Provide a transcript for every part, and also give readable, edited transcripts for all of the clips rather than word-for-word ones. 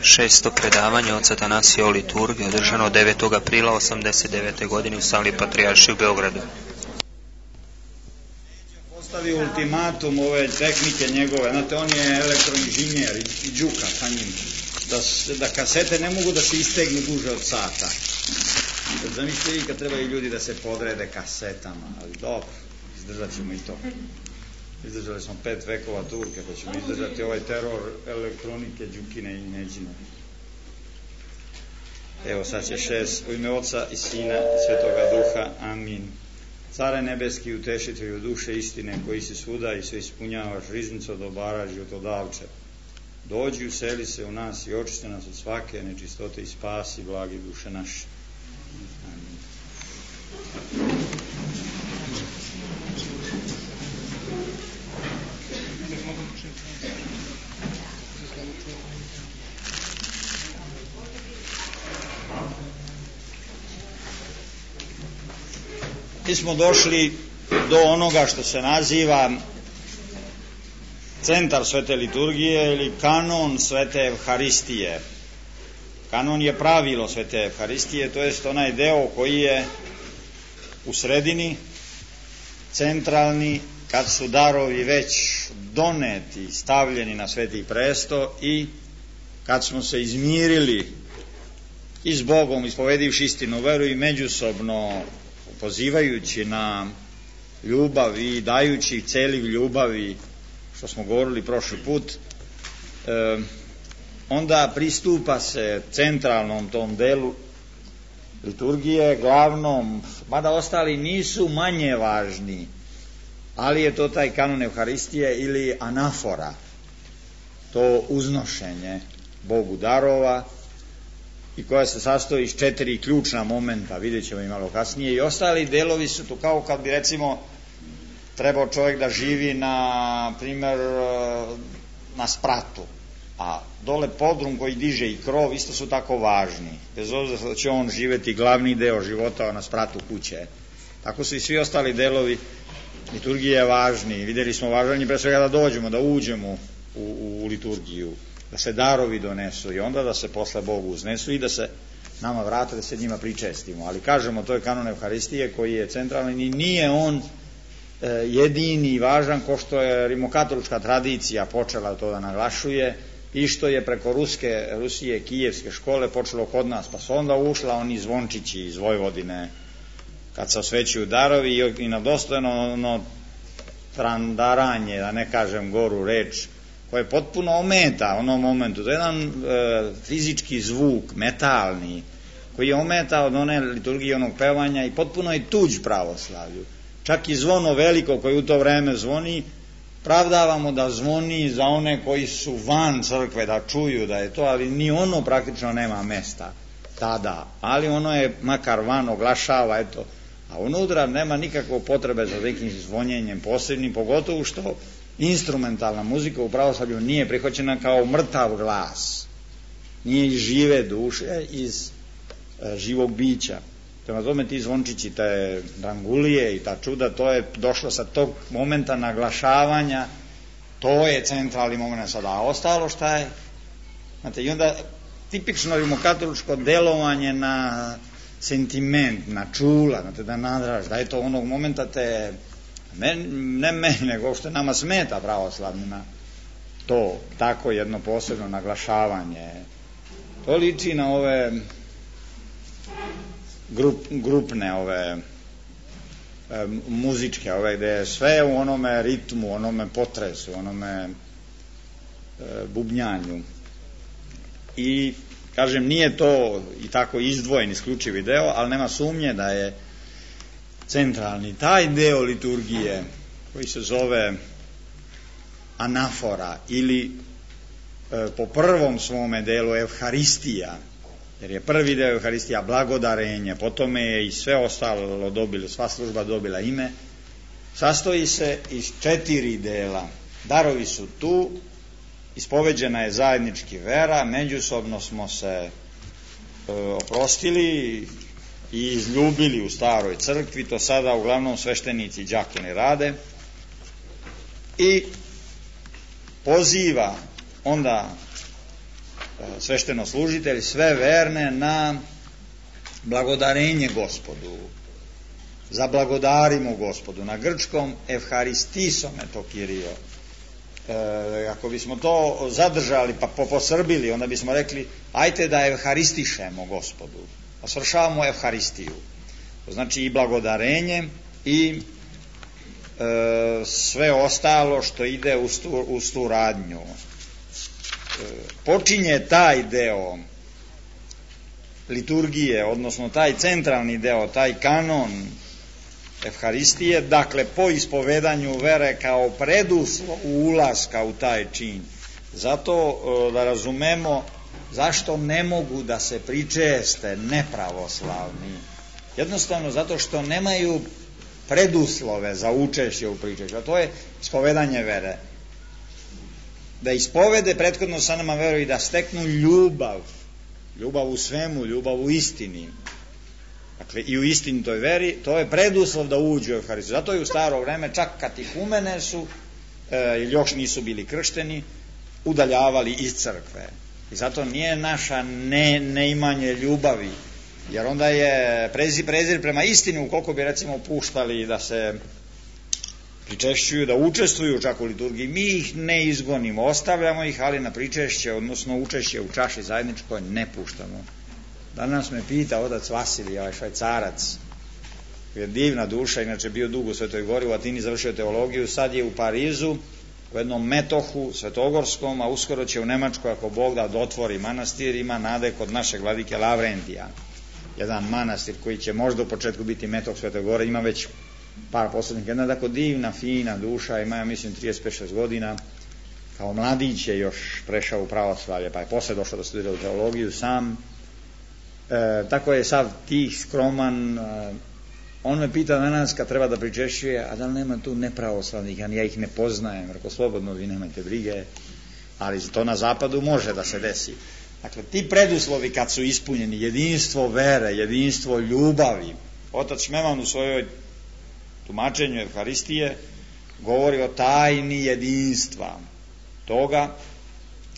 Šesto predavanje od Atanasija o liturgiji održano 9. aprila 1989. godine u sali Patrijaršije u Beogradu. Postavi ultimatum ove tehnike njegove, znate, on je elektroinženjer i džuka sa njim, da kasete ne mogu da se istegnu duže od sata. Zamislite vi kad trebaju ljudi da se podrede kasetama, ali dobro, izdržat ćemo i to. Izdržali smo 5 vekova Turke, pa ćemo izdržati ovaj teror elektronike, džukine i neđine. Evo sad će 6. U ime Oca i Sina i Svetoga Duha. Amin. Care nebeski, utešitelju duše istine, koji si svuda i sve ispunjavaš, riznico dobara životodavče. Dođi, useli se u nas i očisti nas od svake nečistote i spasi blagi duše naše. Amin. Mi smo došli do onoga što se naziva centar svete liturgije ili kanon svete Evharistije. Kanon je pravilo svete Evharistije, to jest onaj deo koji je u sredini, centralni, kad su darovi već doneti, stavljeni na sveti presto i kad smo se izmirili i s Bogom, ispovedivši istinu veru i međusobno pozivajući na ljubav i dajući celiv ljubavi, što smo govorili prošli put, onda pristupa se centralnom tom delu liturgije, glavnom, mada ostali nisu manje važni, ali je to taj kanon Evharistije ili anafora, to uznošenje Bogu darova, i koja se sastoji iz 4 ključna momenta, vidjet ćemo i malo kasnije, i ostali delovi su to kao kad bi recimo trebao čovjek da živi na primjer na spratu, a dole podrum koji diže i krov isto su tako važni, bez obzira da će on živeti glavni deo života na spratu kuće. Tako su i svi ostali delovi liturgije važni. Vidjeli smo važnji pre svega da dođemo, da uđemo u liturgiju, da se darovi donesu i onda da se posle Bogu uznesu i da se nama vrate, da se njima pričestimo. Ali kažemo, to je kanon Evharistije koji je centralni i nije on jedini i važan, ko što je rimokatolička tradicija počela to da naglašuje i što je preko Rusije, kijevske škole počelo kod nas, pa su onda ušla oni zvončići iz Vojvodine kad se osvećuju darovi i na dostojno trandaranje, da ne kažem goru reč, koje potpuno ometa onom momentu. To je jedan fizički zvuk, metalni, koji je ometa od one liturgije, onog pevanja i potpuno je tuđ pravoslavlju. Čak i zvono veliko koje u to vreme zvoni, pravdavamo da zvoni za one koji su van crkve, da čuju da je to, ali ni ono praktično nema mesta tada, ali ono je makar van oglašava, eto, a unutra nema nikakve potrebe za nekim zvonjenjem posebnim, pogotovo što instrumentalna muzika u pravoslavlju nije prihvaćena kao mrtav glas, nije iz žive duše, iz živog bića. Prema tome ti zvončići, te drangulije i ta čuda, to je došlo sa tog momenta naglašavanja, to je centralni moment sada, a ostalo šta je? Znate, i onda tipično rimokatoličko delovanje na sentiment, na čula, znate, da nadraž, da je to onog momenta te, ne meni, nego što nama smeta pravoslavnima, to tako jedno posebno naglašavanje. To liči na ove grupne ove muzičke, ove gde je sve u onome ritmu, onome potresu, onome bubnjanju. I kažem, nije to i tako izdvojen isključivi deo, ali nema sumnje da je centralni taj deo liturgije koji se zove anafora ili po prvom svome delu Evharistija, jer je prvi deo Evharistija blagodarenje, potom je i sve ostalo dobilo, sva služba dobila ime, sastoji se iz 4 dela. Darovi su tu, ispoveđena je zajednički vera, međusobno smo se oprostili i izljubili u staroj crkvi, to sada uglavnom sveštenici i đakoni rade, i poziva onda svešteno-služitelj sve verne na blagodarenje Gospodu. Zablagodarimo Gospodu. Na grčkom evharistisome to Kirio. Ako bismo to zadržali pa posrbili, onda bismo rekli ajte da evharistišemo Gospodu. Svršavamo evharistiju. To znači i blagodarenje i sve ostalo što ide uz tu radnju. Počinje taj deo liturgije, odnosno taj centralni deo, taj kanon evharistije, dakle po ispovedanju vere kao preduslov ulaska u taj čin. Zato da razumemo zašto ne mogu da se pričeste nepravoslavni. Jednostavno zato što nemaju preduslove za učešće u pričešću, a to je ispovedanje vere. Da ispovede prethodno sa nama veru i da steknu ljubav u svemu, ljubav u istini. Dakle, i u istinitoj veri, to je preduslov da uđu u Evharistiju. Zato je u staro vreme, čak katihumene su, ili još nisu bili kršteni, udaljavali iz crkve. I zato nije naša neimanje ljubavi, jer onda je prezir prema istini, ukoliko bi recimo puštali da se pričešćuju, da učestvuju čak u liturgiji, mi ih ne izgonimo, ostavljamo ih, ali na pričešće, odnosno učešće u čaši zajedničkoj ne puštamo. Danas me pita otac Vasilij, ovaj Švajcarac, je divna duša, inače bio dugo u Svetoj Gori, u Atini završio teologiju, sad je u Parizu, u jednom metohu svetogorskom, a uskoro će u Nemačkoj, ako Bog da otvori manastir, ima nade kod našeg vladike Lavrentija. Jedan manastir koji će možda u početku biti metoh Svetoj Gore, ima već par poslednika, jedna tako divna, fina duša, ima, ja mislim, 35-6 godina, kao mladić je još prešao u pravoslavlje, pa je posle došao da studira u teologiju sam. Tako je sav tih, skroman. On me pita danas kad treba da pričešćuje, a da li nema tu nepravoslavnih, ja ih ne poznajem, rekao slobodno, vi nemajte brige, ali to na zapadu može da se desi. Dakle, ti preduslovi kad su ispunjeni, jedinstvo vere, jedinstvo ljubavi, otac Šmeman u svojoj tumačenju Evharistije govori o tajni jedinstva toga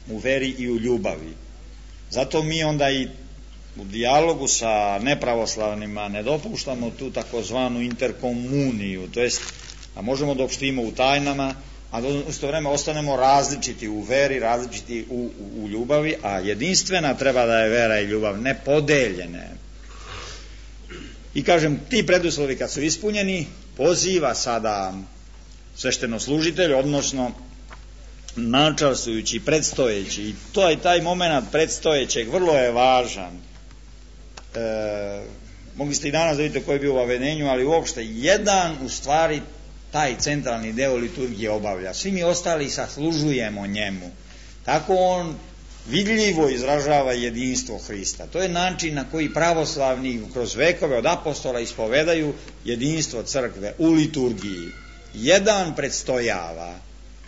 u veri i u ljubavi. Zato mi onda i u dijalogu sa nepravoslavnima ne dopuštamo tu takozvanu interkomuniju, to jest da možemo da opštimo u tajnama, a da u isto vreme ostanemo različiti u veri, različiti u ljubavi, a jedinstvena treba da je vera i ljubav, ne podeljene. I kažem, ti preduslovi kad su ispunjeni, poziva sada svešteno-služitelj, odnosno načalstvujući, predstojeći, i taj moment predstojećeg vrlo je važan. Mogli ste i danas da vidite koji je bio u avedenju, ali uopšte jedan u stvari taj centralni deo liturgije obavlja. Svi mi ostali saslužujemo njemu. Tako on vidljivo izražava jedinstvo Hrista. To je način na koji pravoslavni kroz vekove od apostola ispovedaju jedinstvo crkve u liturgiji. Jedan predstojava.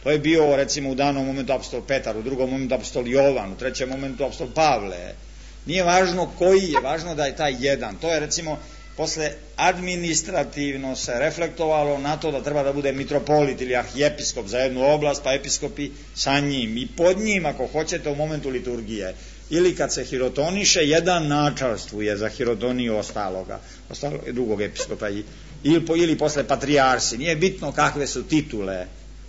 To je bio recimo u danom momentu apostol Petar, u drugom momentu apostol Jovan, u trećem momentu apostol Pavle. Nije važno koji je, važno da je taj jedan. To je recimo posle administrativno se reflektovalo na to da treba da bude mitropolit ili arhijepiskop za jednu oblast, pa episkopi sa njim i pod njim ako hoćete u momentu liturgije. Ili kad se hirotoniše, jedan načalstvuje za hirotoniju ostaloga drugog episkopa ili posle patrijarsi. Nije bitno kakve su titule,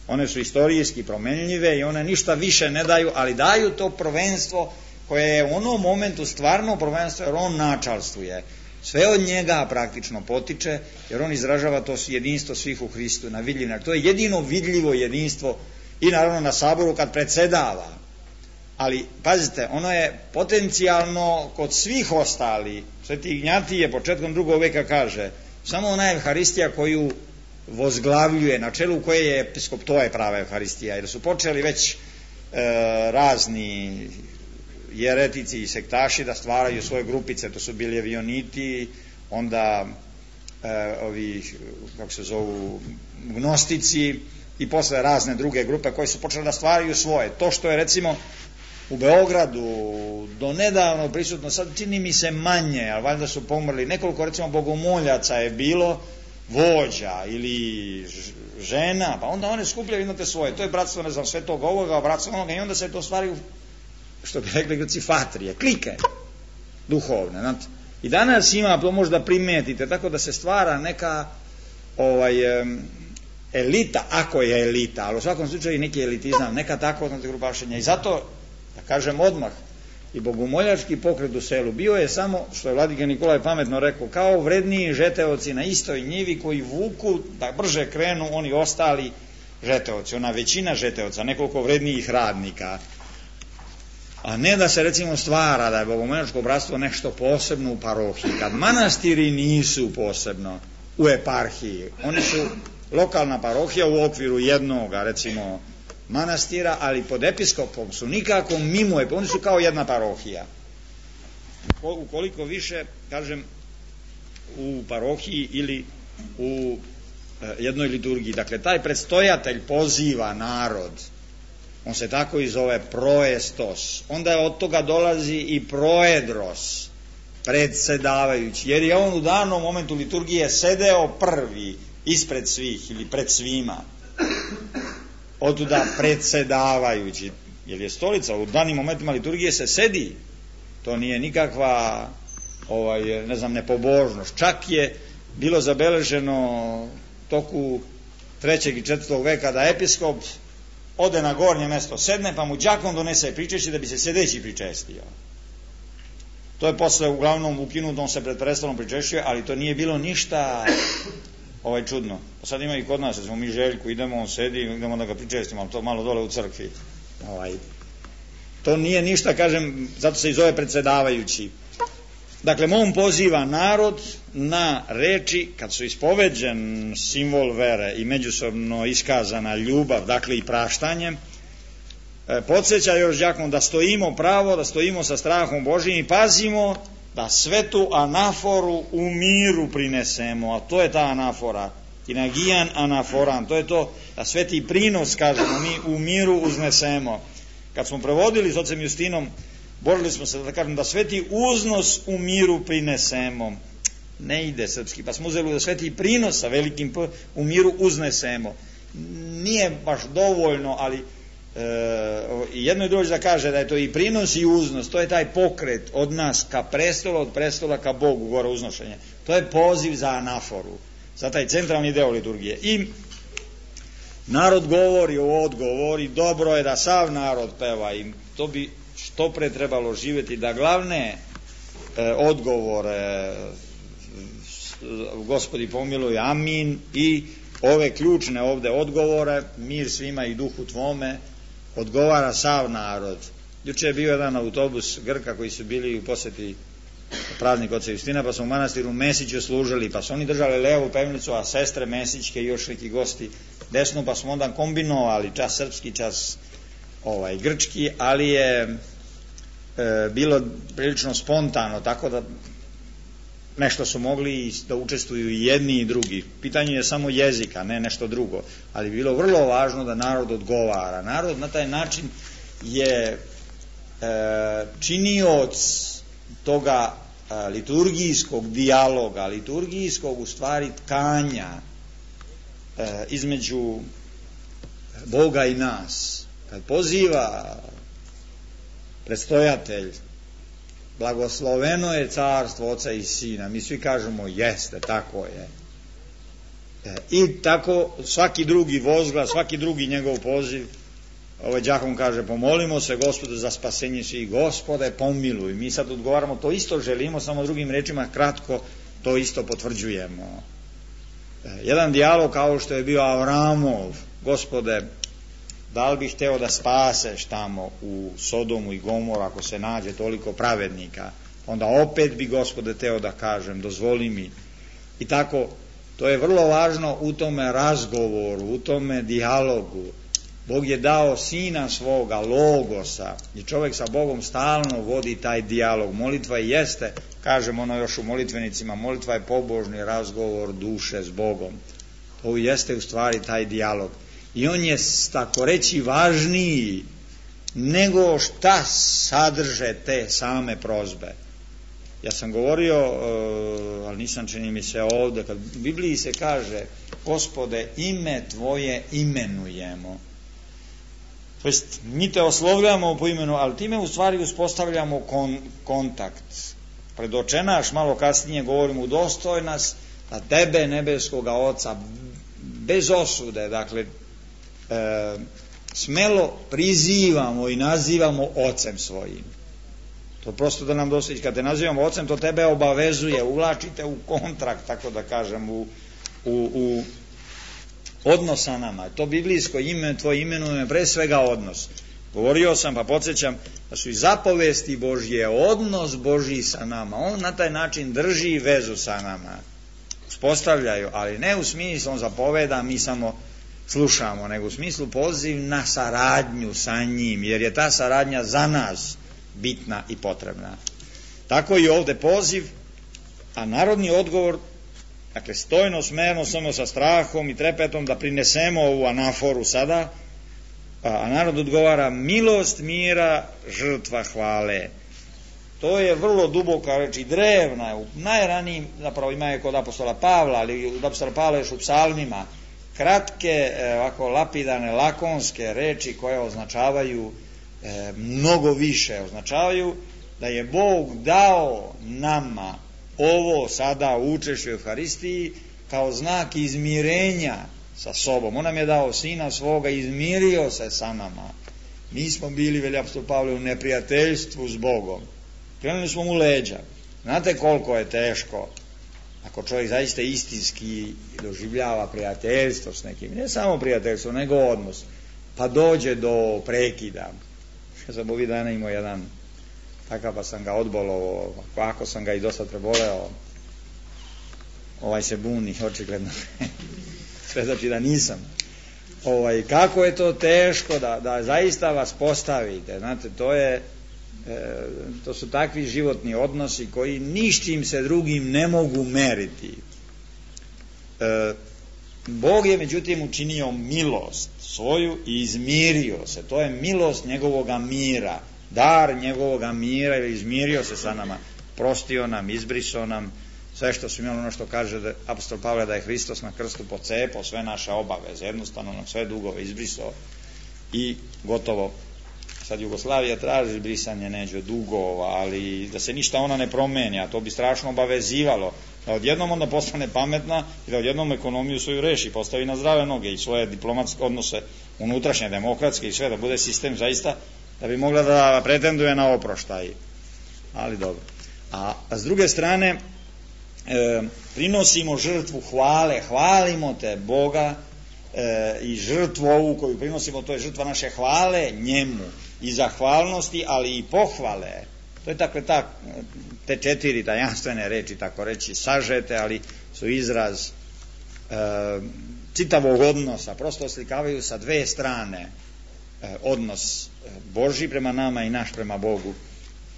one su istorijski promenljive i one ništa više ne daju, ali daju to prvenstvo koje je u onom momentu stvarno prvenstvo, jer on načalstvuje. Sve od njega praktično potiče, jer on izražava to jedinstvo svih u Hristu na vidljiv način. To je jedino vidljivo jedinstvo i naravno na saboru kad predsedava. Ali, pazite, ono je potencijalno kod svih ostali. Sveti Ignjatije početkom 2. veka kaže, samo ona Evharistija koju vozglavljuje, na čelu koje je episkop, to je prava Evharistija, jer su počeli već razni jeretici i sektaši da stvaraju svoje grupice, to su bili evioniti, onda ovi, kako se zovu, gnostici i posle razne druge grupe koje su počeli da stvaraju svoje. To što je recimo u Beogradu do nedavno prisutno, sad čini mi se manje, ali valjda su pomrli, nekoliko recimo bogomoljaca je bilo, vođa ili žena, pa onda one skupljaju, imate svoje, to je bratstvo, ne znam, svetog ovoga, bratstvo onoga, i onda se to stvaraju što bi rekli Grci, fatrije, klike duhovne. Znate. I danas ima, to možda primetite, tako da se stvara neka elita, ako je elita, ali u svakom slučaju neki elitizam, neka takva grupašenja. I zato, da kažem odmah, i bogomoljački pokret u selu bio je samo, što je vladika Nikolaj pametno rekao, kao vredniji žeteoci na istoj njivi koji vuku da brže krenu oni ostali žeteoci, ona većina žeteoca, nekoliko vrednijih radnika, a ne da se recimo stvara da je bogomoljačko bratstvo nešto posebno u parohiji, kad manastiri nisu posebno u eparhiji, oni su lokalna parohija u okviru jednoga recimo manastira, ali pod episkopom su nikako mimo, oni su kao jedna parohija. Ukoliko više, kažem, u parohiji ili u jednoj liturgiji. Dakle, taj predstojatelj poziva narod, on se tako i zove proestos, onda od toga dolazi i proedros, predsedavajući, jer je on u danom momentu liturgije sedeo prvi ispred svih ili pred svima. Otuda predsedavajući, jer je stolica, u danim momentima liturgije se sedi, to nije nikakva nepobožnost. Čak je bilo zabeleženo toku 3. i 4. veka da episkop ode na gornje mesto, sedne, pa mu đakon donese pričešće da bi se sedeći pričestio. To je posle uglavnom ukinuto, on se pred prestolom pričešćuje, ali to nije bilo ništa čudno. Pa sad ima i kod nas, smo mi Željku, idemo, on sedi, idemo da ga pričestimo, ali to malo dole u crkvi. To nije ništa, kažem, zato se i zove predsedavajući. Dakle, on poziva narod na reči, kad su ispoveđen simbol vere i međusobno iskazana ljubav, dakle i praštanje, podsjeća još đakon da stojimo pravo, da stojimo sa strahom Božijim i pazimo da svetu anaforu u miru prinesemo, a to je ta anafora, inagijan anaforan, to je to da sveti prinos, kažemo, mi u miru uznesemo. Kad smo prevodili s ocem Justinom, borili smo se da kažem da sveti uznos u miru prinesemo. Ne ide srpski, pa smo uzeli da sveti prinos sa velikim P u miru uznesemo. Nije baš dovoljno, ali jedno i drugo da kaže da je to i prinos i uznos, to je taj pokret od nas ka prestolu, od prestola ka Bogu, gore uznošenje. To je poziv za anaforu, za taj centralni deo liturgije. I narod govori o odgovori, dobro je da sav narod peva i to bi što pre trebalo živjeti, da glavne odgovore Gospodi pomiluj, amin, i ove ključne ovde odgovore, mir svima i duhu tvome, odgovara sav narod. Juče je bio jedan autobus Grka koji su bili u poseti praznik oca Justina, pa smo u manastiru Mesiću služili, pa su oni držali levu pevnicu, a sestre Mesićke i još neki gosti desnu, pa smo onda kombinovali čas srpski, čas grčki, ali je bilo prilično spontano, tako da nešto su mogli da učestvuju i jedni i drugi. Pitanje je samo jezika, ne nešto drugo, ali bilo vrlo važno da narod odgovara. Narod na taj način je činioc toga liturgijskog dijaloga, liturgijskog u stvari tkanja između Boga i nas. Kad poziva predstojatelj, blagosloveno je carstvo Oca i Sina, mi svi kažemo jeste, tako je. I tako svaki drugi vozglas, svaki drugi njegov poziv, đakon kaže pomolimo se Gospodu za spasenje svih, Gospode pomiluj. Mi sad odgovaramo, to isto želimo, samo drugim rečima kratko to isto potvrđujemo. Jedan dijalog kao što je bio Avramov, Gospode, da li bih hteo da spaseš tamo u Sodomu i Gomoru ako se nađe toliko pravednika, onda opet bi Gospode hteo da kažem, dozvoli mi. I tako, to je vrlo važno u tome razgovoru, u tome dijalogu. Bog je dao Sina svoga, Logosa, i čovjek sa Bogom stalno vodi taj dijalog. Molitva jeste, kažemo ono još u molitvenicima, molitva je pobožni razgovor duše s Bogom. To jeste u stvari taj dijalog. I on je, tako reći, važniji nego šta sadrže te same prozbe. Ja sam govorio, ali nisam, čini mi se ovde, kad u Bibliji se kaže Gospode, ime Tvoje imenujemo. To jest, mi te oslovljamo po imenu, ali time u stvari uspostavljamo kontakt. Predočenaš, malo kasnije govorimo, udostoj nas da tebe, nebeskoga Oca, bez osude, dakle, smelo prizivamo i nazivamo Ocem svojim. To prosto da nam dostići. Kad te nazivamo Ocem, to tebe obavezuje, uvlačite u kontrakt, tako da kažem, u odnos sa nama. To biblijsko ime, tvoje imenuje pre svega odnos. Govorio sam, pa podsjećam, da su i zapovesti Božje odnos Božji sa nama. On na taj način drži vezu sa nama. Uspostavljaju, ali ne u smislu on zapoveda, mi samo slušamo, nego u smislu poziv na saradnju sa njim, jer je ta saradnja za nas bitna i potrebna. Tako i ovde poziv, a narodni odgovor, dakle stojno, smerno, samo sa strahom i trepetom da prinesemo ovu anaforu sada, a narod odgovara milost mira, žrtva hvale. To je vrlo duboka reč i drevna, u najranijim, zapravo ima je kod apostola Pavla, ali od apostola Pavla još u psalmima, kratke, ovako lapidane, lakonske reči koje označavaju mnogo više, označavaju da je Bog dao nama ovo sada u učešću Evharistiji kao znak izmirenja sa sobom. On nam je dao Sina svoga, izmirio se sa nama. Mi smo bili, veli apostol Pavle, u neprijateljstvu s Bogom. Krenuli smo mu leđa. Znate koliko je teško ako čovjek zaista istinski doživljava prijateljstvo s nekim, ne samo prijateljstvo, nego odnos, pa dođe do prekida. Ja sam ovih dana imao jedan takav, pa sam ga odbolovao, ako sam ga i dosta preboleo, ovaj se buni, očigledno. Sve znači da nisam. Kako je to teško da zaista vas postavite, znate, to su takvi životni odnosi koji ničim se drugim ne mogu meriti. Bog je međutim učinio milost svoju i izmirio se. To je milost njegovoga mira, dar njegovoga mira, ili izmirio se sa nama, prostio nam, izbrisao nam sve što su imali, ono što kaže apostol Pavle da je Hristos na krstu pocepao sve naše obaveze, jednostavno nam sve dugove izbrisao i gotovo. Sad Jugoslavija traži brisanje neđe dugova, ali da se ništa ona ne promeni, a to bi strašno obavezivalo, da odjednom onda postane pametna i da odjednom ekonomiju svoju reši, postavi na zdrave noge i svoje diplomatske odnose unutrašnje, demokratske i sve, da bude sistem zaista, da bi mogla da pretenduje na oproštaj. Ali dobro. A s druge strane, prinosimo žrtvu hvale, hvalimo te Boga i žrtvu ovu koju prinosimo, to je žrtva naše hvale njemu i zahvalnosti, ali i pohvale. To je dakle te četiri tajanstvene reči, tako reći, sažete, ali su izraz čitavog odnosa, prosto oslikavaju sa dve strane odnos Božji prema nama i naš prema Bogu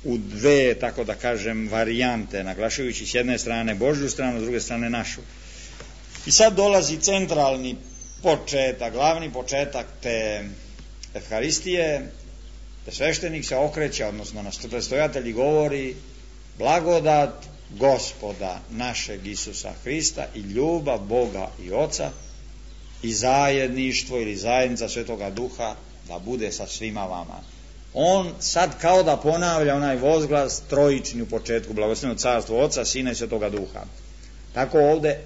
u dve, tako da kažem, varijante, naglašujući s jedne strane Božju stranu, s druge strane našu. I sad dolazi centralni početak, glavni početak te Evharistije, da sveštenik se okreće, odnosno na predstavljatelji govori blagodat Gospoda našeg Isusa Hrista i ljubav Boga i Oca i zajedništvo ili zajednica Svetoga Duha da bude sa svima vama. On sad kao da ponavlja onaj vozglas trojični u početku, blagoslovljeno carstvo Oca, Sina i Svetoga Duha. Tako ovde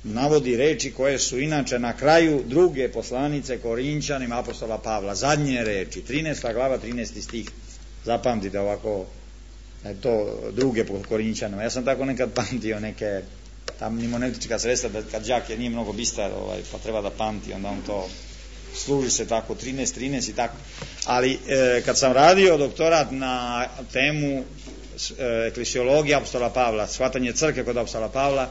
navodi reči koje su inače na kraju druge poslanice Korinćanima apostola Pavla, zadnje reči, 13. glava, 13. stih. Zapamtite ovako, to druge po Korinćanima. Ja sam tako nekad pamtio neke tam mnemotička sredstva, da kad đak nije mnogo bistar, pa treba da pamti, onda on to služi se tako, 13 i tako. Ali kad sam radio doktorat na temu eklesiologije apostola Pavla, shvatanje crkve kod apostola Pavla,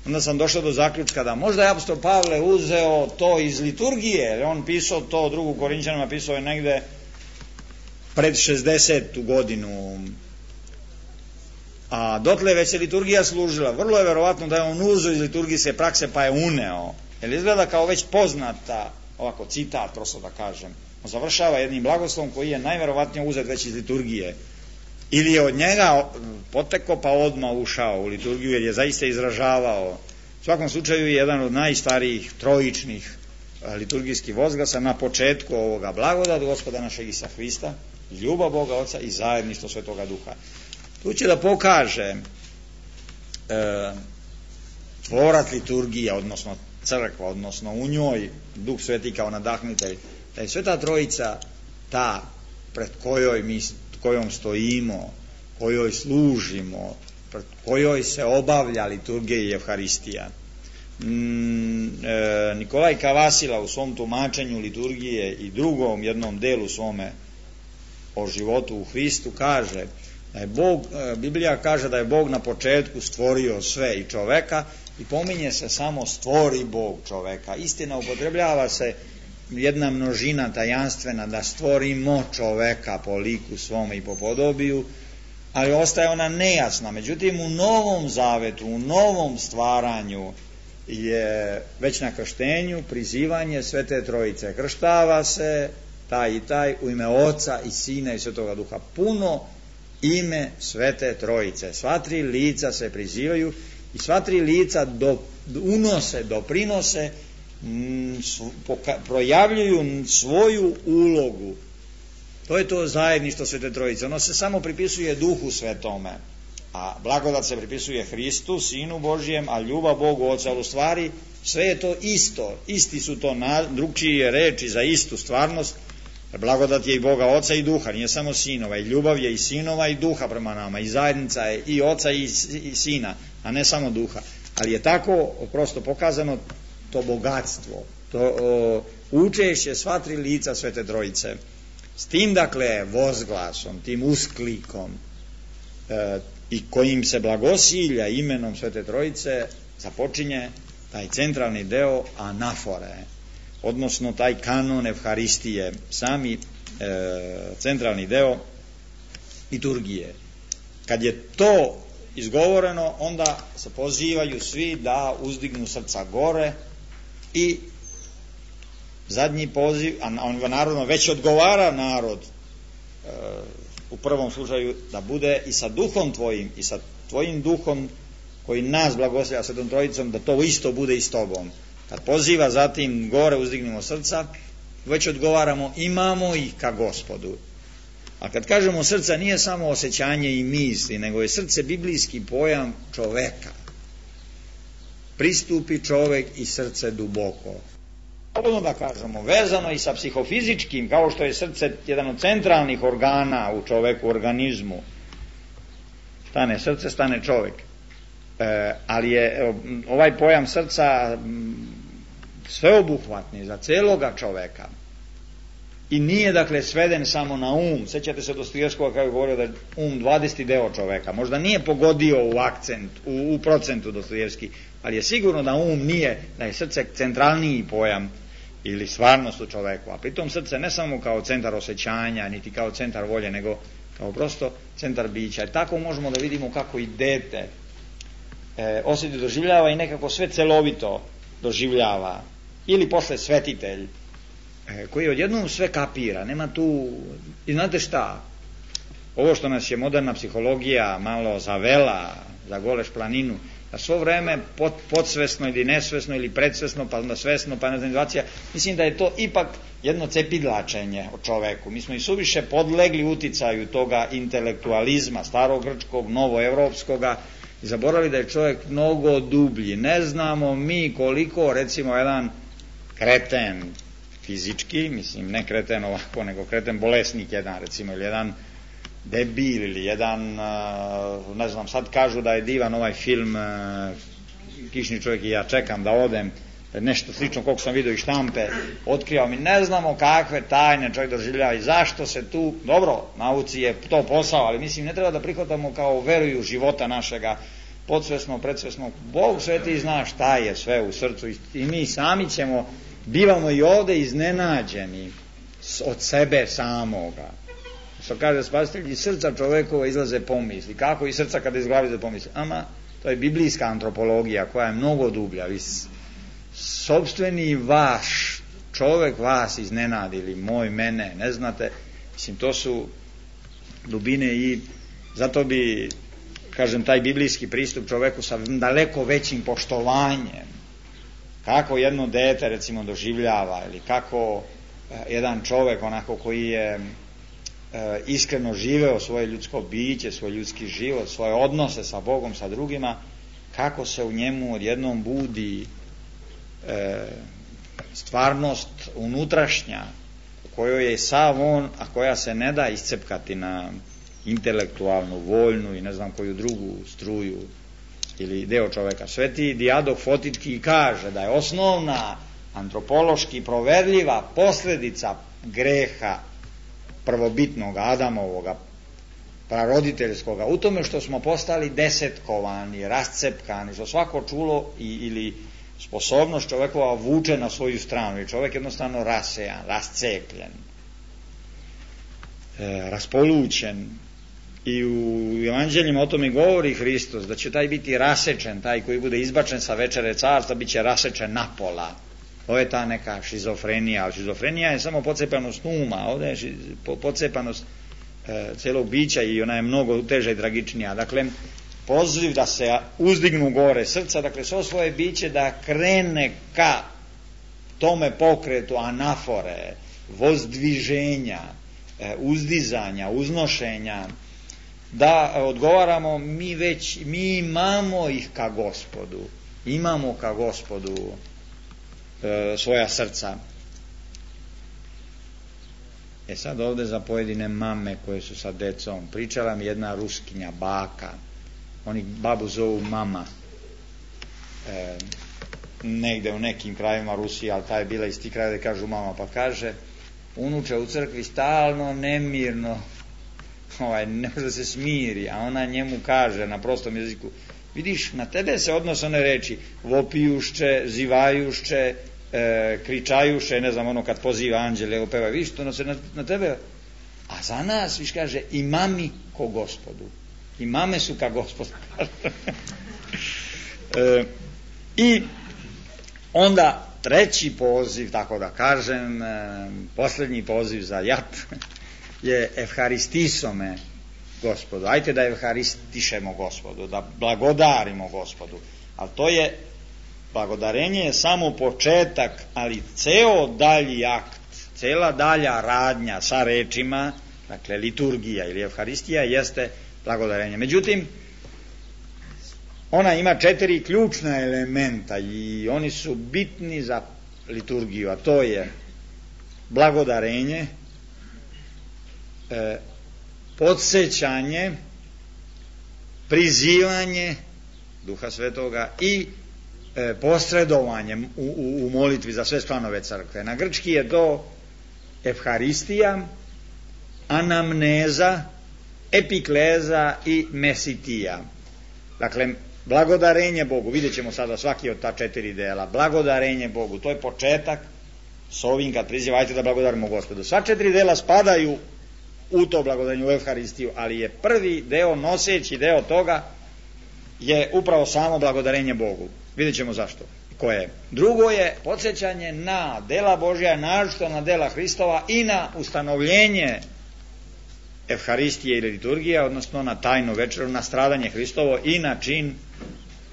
onda sam došao do zaključka da možda je apostol Pavle uzeo to iz liturgije, jer on pisao to, drugu Korinćanima pisao je negde pred 60. godinu, a dotle već se liturgija služila. Vrlo je verovatno da je on uzeo iz liturgijske prakse pa je uneo, jer izgleda kao već poznata, ovako citat, prosto da kažem, on završava jednim blagoslovom koji je najverovatnije uzet već iz liturgije, ili je od njega potekao pa odmah ušao u liturgiju, jer je zaista izražavao. U svakom slučaju je jedan od najstarijih trojičnih liturgijski vozglasa na početku ovoga: blagodat Gospoda našeg Isusa Hrista, ljubav Boga Oca i zajedništvo Svetoga Duha. Tu će da pokaže tvorac liturgije, odnosno crkva, odnosno u njoj Duh Sveti kao nadahnitelj, da je Sveta Trojica ta pred kojom stojimo, kojoj služimo, pred kojoj se obavlja liturgija i Evharistija. Nikolaj Kavasila u svom tumačenju liturgije i drugom jednom delu svome o životu u Hristu kaže da je Biblija kaže da je Bog na početku stvorio sve i čoveka i pominje se samo stvori Bog čoveka. Istina, upotrebljava se jedna množina tajanstvena da stvorimo čoveka po liku svome i po podobiju, ali ostaje ona nejasna. Međutim, u Novom Zavetu, u novom stvaranju je već na krštenju prizivanje Svete Trojice. Krštava se taj i taj u ime Oca i Sina i Svetoga Duha. Puno ime Svete Trojice. Sva tri lica se prizivaju i sva tri lica doprinose, projavljuju svoju ulogu. To je to zajedništvo Svete Trojice. Ono se samo pripisuje Duhu Svetome, a blagodat se pripisuje Hristu, Sinu Božijem, a ljubav Bogu Oca. U stvari sve je to isto, isti su to drugčije reči za istu stvarnost. Blagodat je i Boga Oca i Duha, nije samo Sinova, i ljubav je i Sinova i Duha prema nama, i zajednica je i Oca i Sina, a ne samo Duha. Ali je tako prosto pokazano to bogatstvo, to učešće sva tri lica Svete Trojice. S tim, dakle, vozglasom, tim usklikom i kojim se blagosilja imenom Svete Trojice započinje taj centralni deo anafore, odnosno taj kanon Evharistije, sami centralni deo liturgije. Kad je to izgovoreno, onda se pozivaju svi da uzdignu srca gore i zadnji poziv, a narodno već odgovara narod u prvom slučaju da bude i sa duhom tvojim i sa tvojim duhom koji nas blagoslivlja Svetom Trojicom, da to isto bude i s tobom. Kad poziva zatim gore uzdignemo srca, već odgovaramo imamo ih ka Gospodu. A kad kažemo srca, nije samo osjećanje i misli, nego je srce biblijski pojam čoveka. Pristupi čovek i srce duboko. Slobodno da kažemo, vezano i sa psihofizičkim, kao što je srce jedan od centralnih organa u čoveku, organizmu. Stane srce, stane čovek. Ali je ovaj pojam srca sveobuhvatni za celoga čoveka. I nije, dakle, sveden samo na um. Sećate se Dostojevskog kako je govorio da je um 20. deo čoveka. Možda nije pogodio u akcent, u procentu Dostojevski, ali je sigurno da um nije, da je srce centralniji pojam ili stvarnost u čoveku. A pritom srce ne samo kao centar osjećanja, niti kao centar volje, nego kao prosto centar bića. I tako možemo da vidimo kako i dete osjeti doživljava i nekako sve celovito doživljava. Ili posle svetitelj, koji odjednom sve kapira, nema tu, i znate šta, ovo što nas je moderna psihologija malo zavela za goleš planinu, da svo vreme podsvesno ili nesvesno ili predsvesno, pa onda svesno, pa nezanivacija, mislim da je to ipak jedno cepidlačenje o čoveku. Mi smo i suviše podlegli uticaju toga intelektualizma, starogrčkog, novoevropskoga, i zaboravili da je čovjek mnogo dublji. Ne znamo mi koliko, recimo, jedan kreten fizički, mislim ne kreten ovako, nego kreten bolesnik jedan, recimo, ili jedan debil, ili jedan, ne znam, sad kažu da je divan ovaj film Kišni čovjek i ja čekam da odem, nešto slično koliko sam vidio i štampe otkrio, mi ne znamo kakve tajne čovjek doživljava i zašto se tu, dobro, nauci je to posao, ali mislim ne treba da prihvatamo kao veruju života našega, podsvesno, predsvesno. Bog sveti zna šta je sve u srcu i mi sami bivamo i ovde iznenađeni od sebe samoga. Što kaže Spasitelj, iz srca čovekova izlaze pomisli. Kako iz srca kada iz glavi izlaze pomisli? Ama, to je biblijska antropologija koja je mnogo dublja. Vi sopstveni vaš čovek vas iznenadili, moj, mene, ne znate. Mislim, to su dubine i zato bi, kažem, taj biblijski pristup čoveku sa daleko većim poštovanjem kako jedno dete recimo doživljava, ili kako jedan čovjek onako koji je iskreno živeo svoje ljudsko biće, svoj ljudski život, svoje odnose sa Bogom, sa drugima, kako se u njemu odjednom budi stvarnost unutrašnja u kojoj je sav on, a koja se ne da iscepkati na intelektualnu, voljnu i ne znam koju drugu struju ili deo čoveka. Sveti Dijadok Fotitki kaže da je osnovna antropološki proverljiva posljedica greha prvobitnog Adamovoga, praroditeljskoga, u tome što smo postali desetkovani, rascepkani, što svako čulo ili sposobnost čovjekova vuče na svoju stranu i čovjek jednostavno rasejan, rascepljen, raspolućen. I u evanđeljima o tome govori Hristos, da će taj biti rasečen, taj koji bude izbačen sa večere carstva, bit će rasečen napola. Ovo je ta neka šizofrenija, ali šizofrenija je samo pocepanost uma, ovdje je pocepanost celog bića i ona je mnogo teža i tragičnija. Dakle, poziv da se uzdignu gore srca, dakle, svo svoje biće da krene ka tome pokretu anafore, vozdviženja, uzdizanja, uznošenja, da odgovaramo mi imamo ih ka Gospodu, imamo ka Gospodu svoja srca. Sad ovdje za pojedine mame koje su sa decom, pričala mi jedna Ruskinja, baka, oni babu zovu mama, negde u nekim krajevima Rusije, ali ta je bila iz tih krajeva da kažu mama, pa kaže, unuče u crkvi stalno nemirno, ne može da se smiri, a ona njemu kaže na prostom jeziku, vidiš, na tebe se odnose one reči, vopijušće, zivajušće, kričajuše, ne znam, ono kad poziva anđele, opeva, vidiš, to se na tebe, a za nas, viš kaže, imami ko Gospodu, imame su ka Gospodu. I onda treći poziv, tako da kažem, posljednji poziv za jat je evharistisome Gospodu. Ajte da evharistišemo Gospodu, da blagodarimo Gospodu. Ali to je, blagodarenje je samo početak, ali ceo dalji akt, cela dalja radnja sa rečima, dakle liturgija ili evharistija jeste blagodarenje. Međutim, ona ima 4 ključna elementa i oni su bitni za liturgiju, a to je blagodarenje, podsjećanje, prizivanje Duha Svetoga i posredovanje u molitvi za sve članove crkve. Na grčki je to evharistija, anamneza, epikleza i mesitija. Dakle, blagodarenje Bogu, vidjet ćemo sada svaki od ta 4 dela. Blagodarenje Bogu, to je početak s ovim kad prizivajte da blagodarimo Gospodu. Sva 4 dela spadaju u to blagodarenje, u evharistiju, ali je prvi deo, noseći deo toga je upravo samo blagodarenje Bogu. Vidjet ćemo zašto. Koje? Drugo je podsjećanje na dela Božja, naročito na dela Hristova i na ustanovljenje evharistije ili liturgije, odnosno na tajnu večeru, na stradanje Hristovo i na čin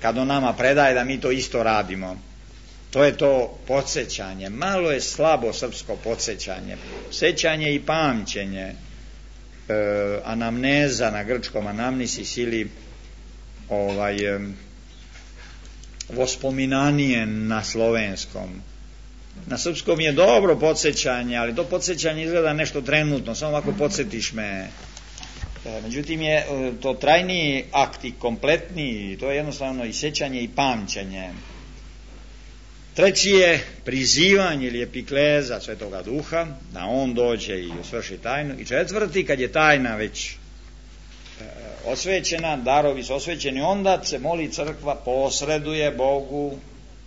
kad on nama predaje da mi to isto radimo. To je to podsjećanje. Malo je slabo srpsko podsjećanje. Sećanje i pamćenje. Anamneza na grčkom, anamnisis ili vospominanje na slovenskom. Na srpskom je dobro podsjećanje, ali to podsjećanje izgleda nešto trenutno, samo ovako podsjetiš me. Međutim je to trajniji akt i kompletniji, to je jednostavno i sjećanje i pamćenje. Treći je prizivanje ili epikleza Svetoga Duha, da on dođe i osvrši tajnu. I četvrti, kad je tajna već osvećena, darovi su osvećeni, onda se moli crkva, posreduje Bogu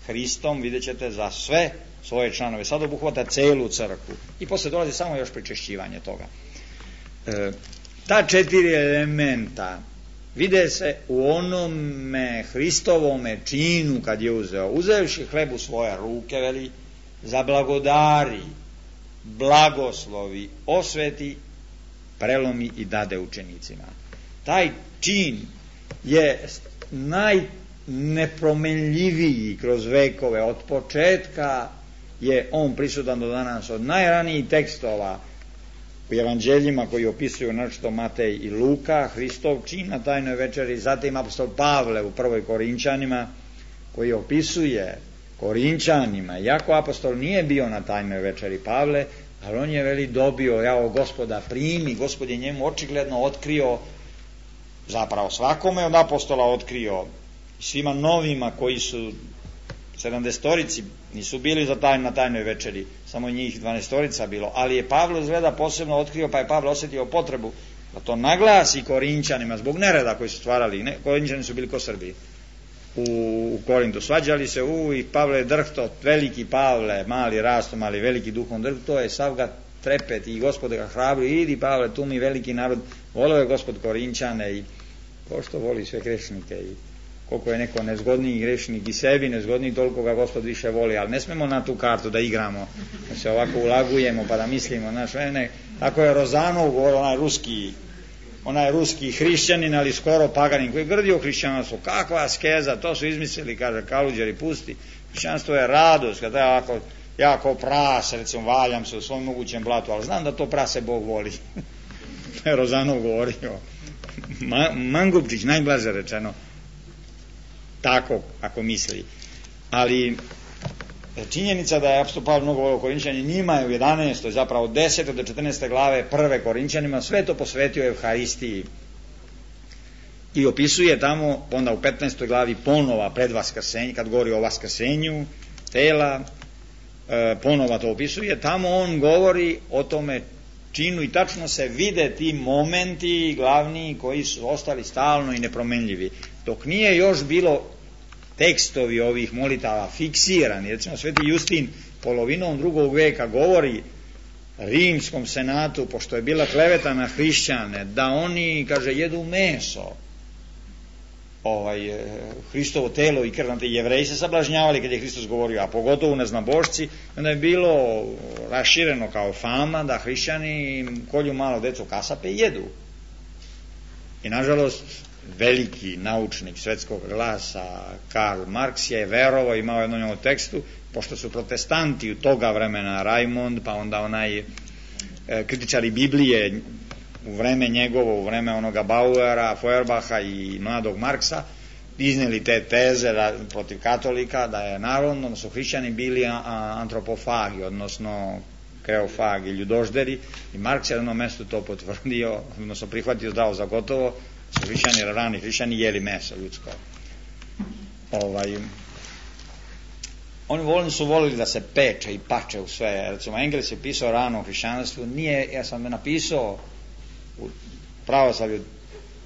Hristom, vidjet ćete, za sve svoje članove. Sad obuhvata celu crkvu. I posle dolazi samo još pričešćivanje toga. Ta 4 elementa vide se u onome Hristovome činu kad je uzevši hleb u svoje ruke, veli, zablagodari, blagoslovi, osveti, prelomi i dade učenicima. Taj čin je najnepromenljiviji kroz vekove. Od početka je on prisutan do danas. Od najranijih tekstova u evanđeljima koji opisuju našto Matej i Luka, Hristov čin na tajnoj večeri, zatim apostol Pavle u prvoj Korinčanima koji opisuje Korinčanima, iako apostol nije bio na tajnoj večeri Pavle, ali on je veli dobio, jao Gospoda primi, Gospod je njemu očigledno otkrio, zapravo svakome od apostola otkrio, svima novima koji su 70-torici nisu bili na tajnoj večeri, samo njih 12-torica bilo, ali je Pavle izgleda posebno otkrio, pa je Pavle osjetio potrebu da to naglasi Korinčanima zbog nereda koji su stvarali. Korinčani su bili ko Srbi u Korintu, svađali se i Pavle je drhto, veliki Pavle, mali rastom, ali veliki duhom drhto je, sav ga trepet i Gospod ga hrabri, idi Pavle, tu mi veliki narod, volio je Gospod Korinčane i ko što voli sve grešnike i koliko je neko nezgodniji grešnik i sebi nezgodniji, toliko ga Gospod više voli, ali ne smemo na tu kartu da igramo, da se ovako ulagujemo pa da mislimo, tako je Rozanov govorio, onaj ruski hrišćanin, ali skoro paganin, koji je grdio hrišćanstvo, kakva askeza, to su izmislili, kaže, kaluđeri, pusti, hrišćanstvo je radost, kada ja ovako, ja kao prase, recimo, valjam se u svom mogućem blatu, ali znam da to prase Bog voli. To je Rozanov govorio. Mangupčić, najblaže rečeno, tako, ako misli. Ali činjenica da je apostol Pavle mnogo volio Korinčani, njima je u 11. zapravo 10. do 14. glave prve Korinčanima sve to posvetio Evharistiji i opisuje tamo onda u 15. glavi ponova pred vaskrsenje, kad govori o vaskrsenju tela, ponova to opisuje, tamo on govori o tome činu i tačno se vide ti momenti glavni koji su ostali stalno i nepromenljivi. Dok nije još bilo tekstovi ovih molitava fiksirani, recimo Sveti Justin polovinom 2. veka govori rimskom senatu, pošto je bila kleveta na hrišćane, da oni, kaže, jedu meso, Hristovo telo i krv, Jevreji se sablažnjavali kad je Hristos govorio, a pogotovo neznabošci, onda je bilo rašireno kao fama da hrišćani kolju malo decu kasape i jedu. I nažalost veliki naučnik svetskog glasa Karl Marx je verovao, imao jednu njegovu tekstu, pošto su protestanti u toga vremena, Raimond, pa onda onaj kritičari Biblije u vreme njegovo, u vreme onoga Bauera, Feuerbacha i mladog Marksa, iznijeli te teze protiv katolika, da je narodno, da su hrišćani bili antropofagi, odnosno kreofagi, ljudožderi, i Marks je na jednom mestu to potvrdio, odnosno prihvatio zdravo za gotovo, su hrišćani, rani hrišćani jeli meso ljudsko. Oni su volili da se peče i pače u sve. Recimo, Engels je pisao rano o hrišćanstvu, ja sam napisao u pravoslavlju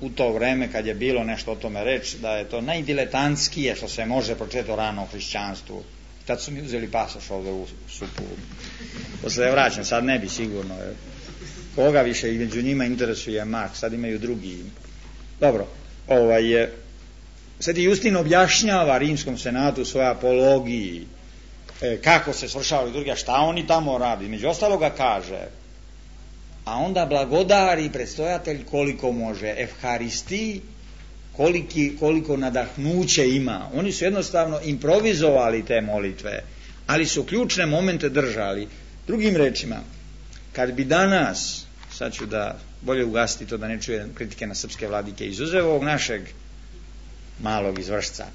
u to vreme kad je bilo nešto o tome reći, da je to najdiletantskije što se može pročitati o rano hrišćanstvu. Tad su mi uzeli pasoš ovdje u supu. Posle je vraćam, sad ne bi sigurno. Koga više i među njima interesuje Marks, sad imaju drugi. Dobro, Sveti Justin objašnjava rimskom senatu u svojoj apologiji kako se svršava liturgija, šta oni tamo radi. Među ostaloga kaže, a onda blagodari predstojatelj koliko može, Evharistiji koliko nadahnuće ima. Oni su jednostavno improvizovali te molitve, ali su ključne momente držali. Drugim rečima, kad bi danas, sad ću da bolje ugasiti to da ne čujem kritike na srpske vladike, izuzev ovog našeg malog izvršca,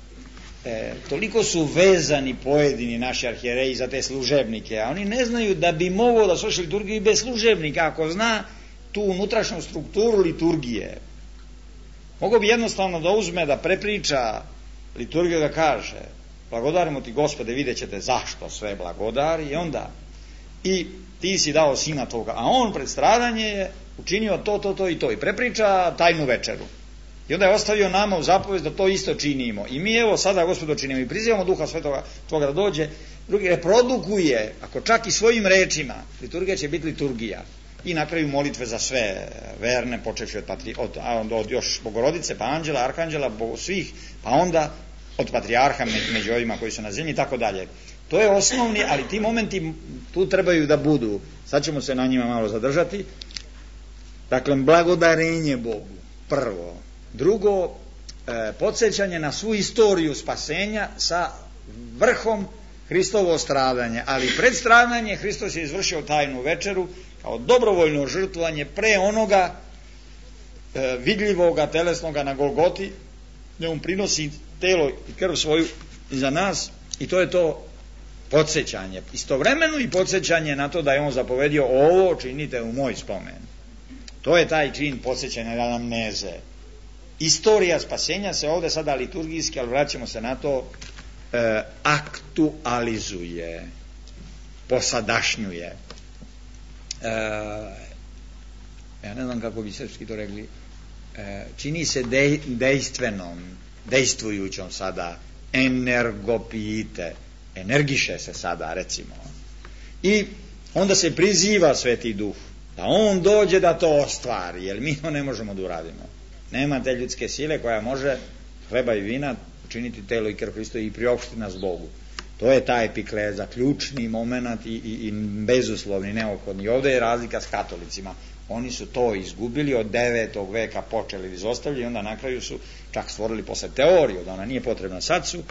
toliko su vezani pojedini naši arhijereji za te služebnike, a oni ne znaju da bi mogao da sluša liturgiju i bez služebnika, ako zna tu unutrašnju strukturu liturgije. Mogao bi jednostavno da uzme, da prepriča liturgiju, da kaže blagodarimo ti Gospode, vidjet ćete zašto sve blagodari, i onda i ti si dao sina toga, a on pred stradanje je učinio to i to, i prepriča tajnu večeru. I onda je ostavio nama u zapovest da to isto činimo. I mi evo sada, Gospodo, činimo i prizivamo Duha Svetoga Tvoga da dođe, drugi reprodukuje, ako čak i svojim rečima, liturgija će biti liturgija. I na kraju molitve za sve verne, počevši od još Bogorodice, pa anđela, arhanđela, svih, pa onda od patrijarha među ovima koji su na zemlji i tako dalje. To je osnovni, ali ti momenti tu trebaju da budu. Sad ćemo se na njima malo zadržati. Dakle, blagodarenje Bogu, prvo. Drugo, podsjećanje na svu istoriju spasenja sa vrhom Hristovo stradanje, ali pred stradanje Hristos je izvršio tajnu večeru kao dobrovoljno žrtvovanje pre onoga vidljivoga telesnoga na Golgoti, gdje on prinosi telo i krv svoju za nas, i to je to podsjećanje, istovremeno i podsjećanje na to da je on zapovedio ovo činite u moj spomen. To je taj čin podsjećanja, anamneze. Istorija spasenja se ovdje sada liturgijski, ali vraćamo se na to, aktualizuje, posadašnjuje. Ja ne znam kako bi srpski to rekli, čini se dejstvenom, dejstvujućom sada, energopijite, energiše se sada, recimo. I onda se priziva Sveti Duh, da on dođe da to ostvari, jer mi to ne možemo da uradimo. Nema te ljudske sile koja može hleba i vina učiniti telo i krv Hristo i priopštiti nas Bogu. To je ta epikleza, ključni moment i bezuslovni, neophodni. Ovdje je razlika s katolicima. Oni su to izgubili, od 9. veka počeli da izostavljaju i onda na kraju su čak stvorili posle teoriju da ona nije potrebna. Sad su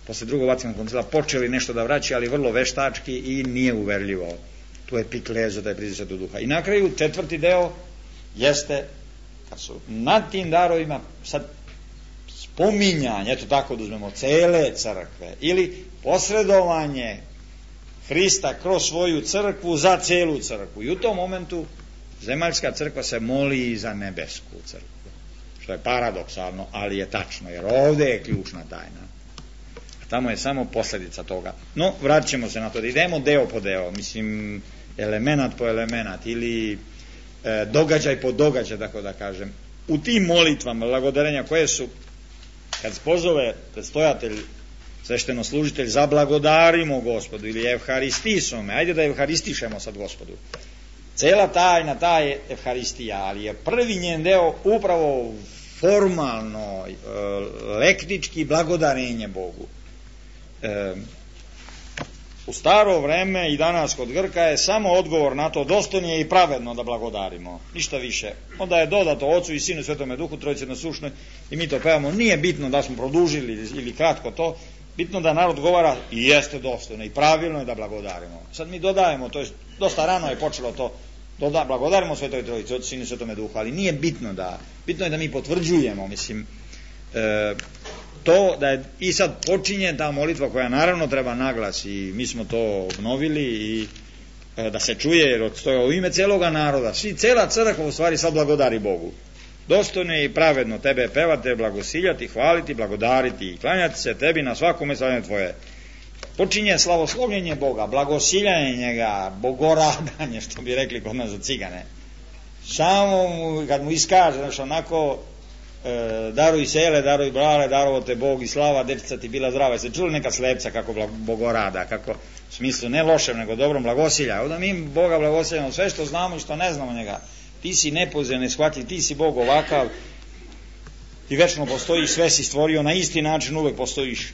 posle drugog Vatikanskog koncila počeli nešto da vraćaju, ali vrlo veštački i nije uverljivo tu epiklezu, taj priziv Svetog Duha. I na kraju 4. deo jeste, kad su nad tim darovima sad spominjanje, eto tako da uzmemo, cele crkve ili posredovanje Hrista kroz svoju crkvu za celu crkvu. I u tom momentu zemaljska crkva se moli i za nebesku crkvu, što je paradoksalno, ali je tačno, jer ovdje je ključna tajna, a tamo je samo posljedica toga. No, vratit ćemo se na to, da idemo deo po deo, mislim, element po element, ili događaj po događaj, tako da kažem. U tim molitvama blagodarenja koje su, kad pozove predstojatelj, sveštenoslužitelj, zablagodarimo Gospodu ili evharistisome, ajde da evharistišemo sad Gospodu. Cela tajna, ta je evharistija, ali je prvi njen deo upravo formalno, lektički blagodarenje Bogu. U staro vreme i danas kod Grka je samo odgovor na to dostojno je i pravedno da blagodarimo, ništa više. Onda je dodato Ocu i Sinu i Svetome Duhu, Trojici jednosušnoj, i mi to pevamo. Nije bitno da smo produžili ili kratko to, bitno da narod govara i jeste dostojno i pravilno je da blagodarimo. Sad mi dodajemo, to je dosta rano je počelo to, blagodarimo Svetoj Trojici, Ocu, Sinu i Svetome Duhu, ali nije bitno bitno je da mi potvrđujemo, mislim, to da je, i sad počinje ta molitva koja naravno treba naglas i mi smo to obnovili i da se čuje, jer stoje u ime celoga naroda, cela crkva u stvari sad blagodari Bogu. Dostojno je i pravedno tebe pevati, blagosiljati, hvaliti, blagodariti i klanjati se tebi na svakome slavljenje tvoje. Počinje slavoslovljenje Boga, blagosiljanje njega, bogoradanje, što bi rekli kod nas za cigane. Samo kad mu iskaže, znači onako, daruj sele, daruj brale, darovo te Bog i slava, dečica ti bila zdrava. Jeste čuli neka slepca kako bogorada, kako, u smislu ne lošem, nego dobrom blagosilja. Onda mi Boga blagosiljamo sve što znamo i što ne znamo njega. Ti si nepoznat, neshvatljiv, ti si Bog ovakav i večno postojiš, sve si stvorio na isti način, uvek postojiš.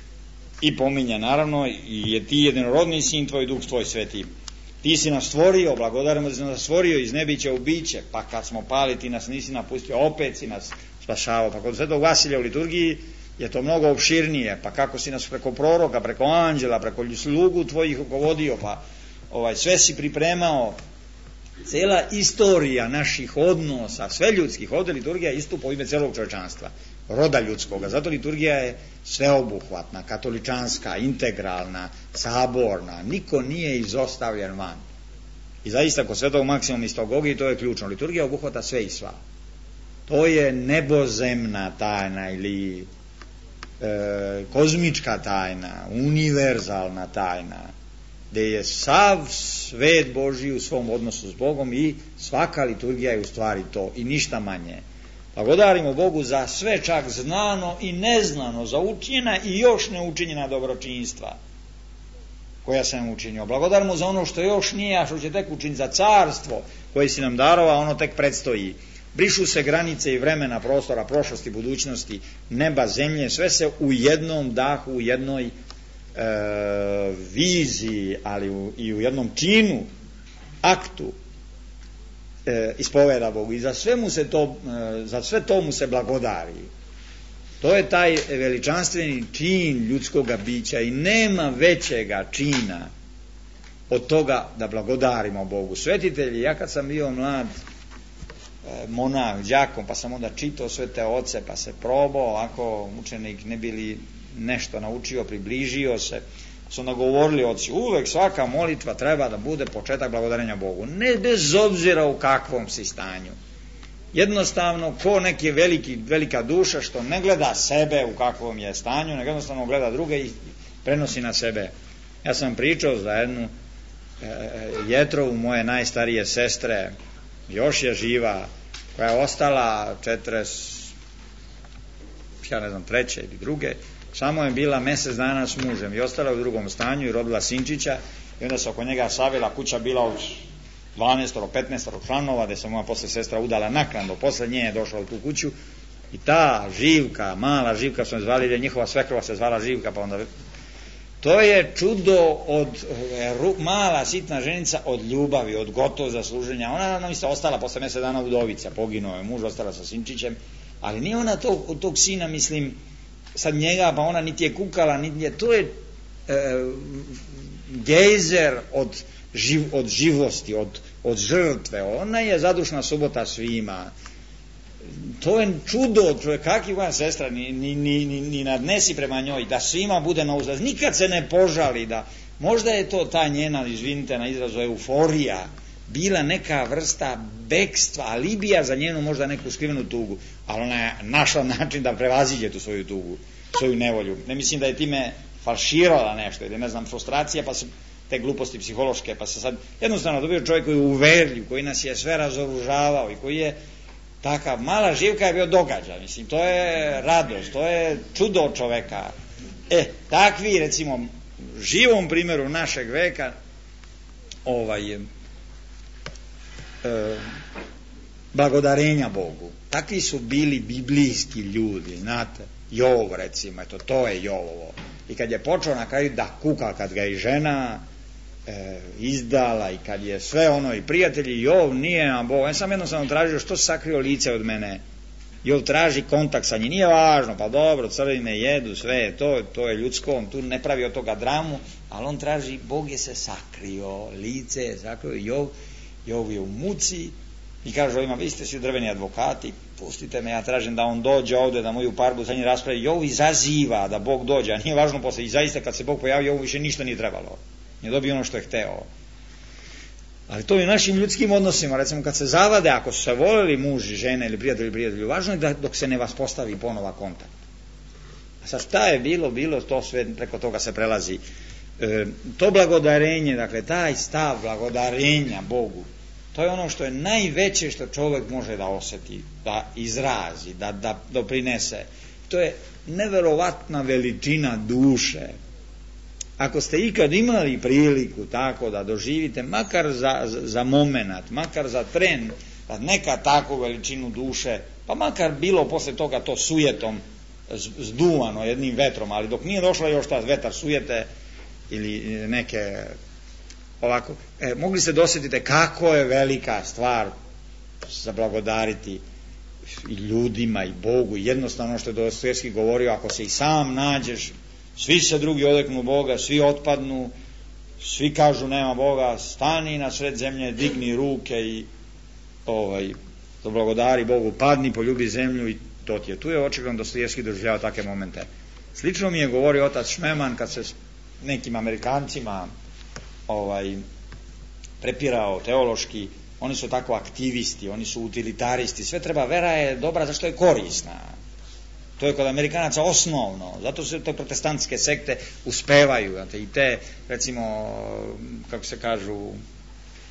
I pominja naravno, i je ti jedinorodni sin tvoj, Duh tvoj sveti. Ti si nas stvorio, blagodarimo da si nas stvorio iz nebića u biće, pa kad smo pali ti nas nisi napustio, opet si nas spašavao. Pa kod Svetog Vasilja u liturgiji je to mnogo opširnije, pa kako si nas preko proroka, preko anđela, preko slugu tvojih rukovodio, pa sve si pripremao. Cela istorija naših odnosa, sve ljudskih, ovdje liturgija istupa u ime celog čovječanstva, roda ljudskoga. Zato liturgija je sveobuhvatna, katoličanska, integralna, saborna, niko nije izostavljen van. I zaista kod Svetog Maksimuma iz Togogije to je ključno. Liturgija obuhvata sve i sva. To je nebozemna tajna ili kozmička tajna, univerzalna tajna, gdje je sav svet Božji u svom odnosu s Bogom i svaka liturgija je u stvari to i ništa manje. Blagodarimo Bogu za sve, čak znano i neznano, za učinjena i još neučinjena dobročinstva koja sam učinio. Blagodarimo za ono što još nije, a što će tek učiniti, za carstvo koje si nam darovao, ono tek predstoji. Brišu se granice i vremena, prostora, prošlosti, budućnosti, neba, zemlje, sve se u jednom dahu, u jednoj viziji, ali i u jednom činu, aktu ispoveda Bogu i za sve to mu se blagodari. To je taj veličanstveni čin ljudskoga bića i nema većega čina od toga da blagodarimo Bogu. Svetitelji, ja kad sam bio mlad monah, đakom, pa sam onda čitao sve te oce, pa se probao, ako učenik ne bili nešto naučio, približio se, su onda govorili oci, uvek svaka molitva treba da bude početak blagodarenja Bogu, ne bez obzira u kakvom si stanju. Jednostavno, ko neki velika duša što ne gleda sebe u kakvom je stanju, nego jednostavno gleda druge i prenosi na sebe. Ja sam pričao za jednu Jetrovu, moje najstarije sestre, još je živa, koja je ostala 43. ili druge, samo je bila mesec dana s mužem i ostala u drugom stanju i rodila sinčića i onda se oko njega savila, kuća bila od 12-15 članova, gde se moja posle sestra udala naknadno, posle nje je došla u tu kuću i ta Živka, mala Živka smo je zvali, jer njihova svekrva se zvala Živka, pa onda to je čudo od mala sitna ženica od ljubavi, od gotovo zasluženja. Ona nam je ostala posle mesec dana udovica, poginuo je muž, ostala sa sinčićem, ali nije ona tog sina, mislim, sad njega, pa ona niti je kukala, niti je, to je gejzer od živosti, od žrtve. Ona je zadušna subota svima. To je čudo, kakva moja sestra, ni nadnesi prema njoj, da svima bude na uzlaz, nikad se ne požali, da možda je to ta njena, izvinite na izrazu, euforija, bila neka vrsta bekstva, alibija za njenu možda neku skrivenu tugu, ali ona je našla način da prevaziđe tu svoju tugu, svoju nevolju. Ne mislim da je time falširala nešto, ili ne znam, frustracija, pa se te gluposti psihološke, pa se sad jednostavno dobio čovjek koji je uverljiv, koji nas je sve razoružavao i koji je takav, mala Živka je bio događaj, mislim, to je radost, to je čudo od čoveka. Takvi, recimo, živom primjeru našeg veka, blagodarenja Bogu. Takvi su bili biblijski ljudi, znate, Jov, recimo, eto, to je Jovovo. I kad je počeo na kraju da kuka, kad ga i žena izdala i kad je sve ono i prijatelji, Jov nije na Bogu. Ja sam jednostavno tražio što se sakrio lice od mene. Jov traži kontakt sa njim, nije važno, pa dobro, crvine jedu, sve je to je ljudsko, on tu ne pravi od toga dramu, ali on traži, Bog je se sakrio, lice je sakrio, Jov je u muci i kaže ovima, vi ste svi drveni advokati, pustite me, ja tražim da on dođe ovde, da moju parbu za njih raspravi. Jov izaziva da Bog dođe, a nije važno posle, i zaista kad se Bog pojavi, Jovu više ništa nije trebalo, nije dobio ono što je hteo. Ali to i u našim ljudskim odnosima, recimo kad se zavade, ako su se voleli muž i žene ili prijatelji, važno je da dok se ne vaspostavi ponova kontakt. A sad šta je bilo, to sve preko toga se prelazi. To blagodarenje, dakle taj stav blagodarenja Bogu, to je ono što je najveće što čovjek može da osjeti, da izrazi, da doprinese. To je neverovatna veličina duše. Ako ste ikad imali priliku tako da doživite, makar za momenat, makar za tren, da neka takvu veličinu duše, pa makar bilo posle toga to sujetom zduvano jednim vetrom, ali dok nije došla još ta vetar sujete ili neke ovako, mogli ste dosjetiti kako je velika stvar zablagodariti i ljudima i Bogu. Jednostavno što je Dostojevski govorio, ako se i sam nađeš, svi se drugi odreknu Boga, svi otpadnu, svi kažu nema Boga, stani na sred zemlje, digni ruke i zablagodari Bogu, padni, poljubi zemlju i to ti je. Tu je očigledno Dostojevski doživljava takve momente. Slično mi je govorio otac Šmeman kad se s nekim Amerikancima prepirao teološki, oni su tako aktivisti, oni su utilitaristi, sve treba, vera je dobra zašto je korisna. To je kod Amerikanaca osnovno, zato se te protestantske sekte uspevaju, znate, i te, recimo, kako se kažu,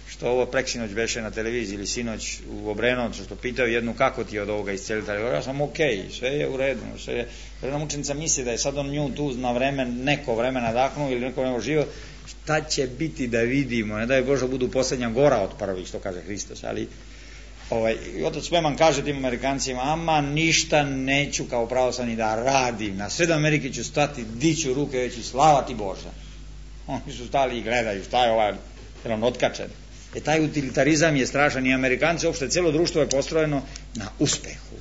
što ovo preksinoć beše na televiziji ili sinoć u Obrenovcu, što pitaju jednu kako ti je od ovoga iscelitelja, ja sam okej, sve je u redu, sve je, jedna mučenica misli da je sad on nju tu na vreme, neko vreme nadahnuo ili neko vreme živo, šta će biti da vidimo, ne daj Bože budu posljednja gora od prvih, što kaže Hristos, ali otac Šmeman kaže tim Amerikancima, ama ništa neću kao pravoslavni da radim, na sred Amerike ću stati, diću ruke, reći slava ti Bože. Oni su stali i gledaju, šta je ovaj, jer on otkačen. Taj utilitarizam je strašan i Amerikanci, uopšte cijelo društvo je postrojeno na uspehu.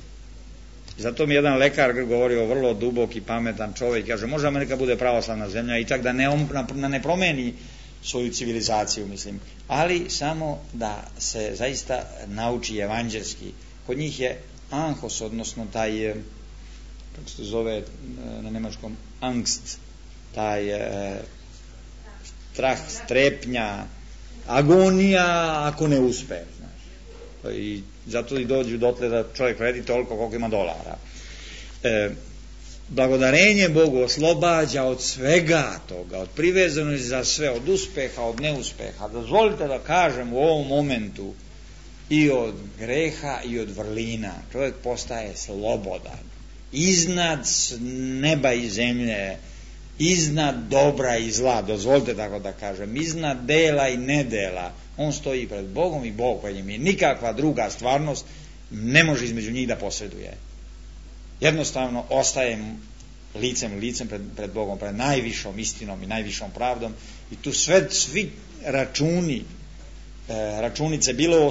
Zato mi jedan lekar govorio, vrlo duboki, pametan čovjek, kaže, može Amerika bude pravoslavna zemlja i čak da ne promeni svoju civilizaciju, mislim, ali samo da se zaista nauči evanđelski. Kod njih je anhos, odnosno taj, kako se zove na nemačkom, angst, taj strah, strepnja, agonija ako ne uspe, znaš. I zato i dođu dotle da čovjek vredi toliko koliko ima dolara. Blagodarenje Bogu oslobađa od svega toga, od privezanosti za sve, od uspeha, od neuspeha. Dozvolite da kažem u ovom momentu i od greha i od vrlina. Čovjek postaje slobodan. Iznad neba i zemlje, iznad dobra i zla, dozvolite tako da kažem, iznad dela i nedela. On stoji pred Bogom i Bog pred njim i nikakva druga stvarnost ne može između njih da posreduje. Jednostavno ostaje licem pred Bogom, pred najvišom istinom i najvišom pravdom i tu svi računice, bilo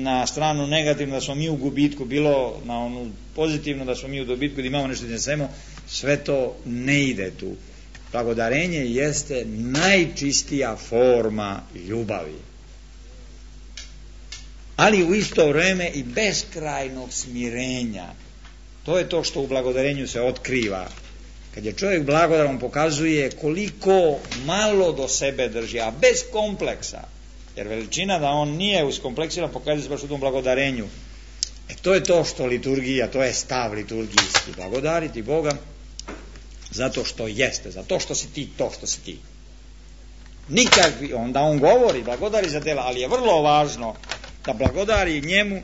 na stranu negativno da smo mi u gubitku, bilo na onu pozitivno da smo mi u dobitku, da imamo nešto iznesemo, sve to ne ide tu. Blagodarenje jeste najčistija forma ljubavi, ali u isto vreme i beskrajnog smirenja. To je to što u blagodarenju se otkriva. Kad je čovjek blagodaran, pokazuje koliko malo do sebe drži, a bez kompleksa. Jer veličina da on nije uskompleksiran pokazuje se baš u tom blagodarenju. To je to što liturgija, to je stav liturgijski. Blagodariti Boga zato što jeste, zato što si ti to što si ti. Nikakvi, onda on govori, blagodari za dela, ali je vrlo važno da blagodari njemu,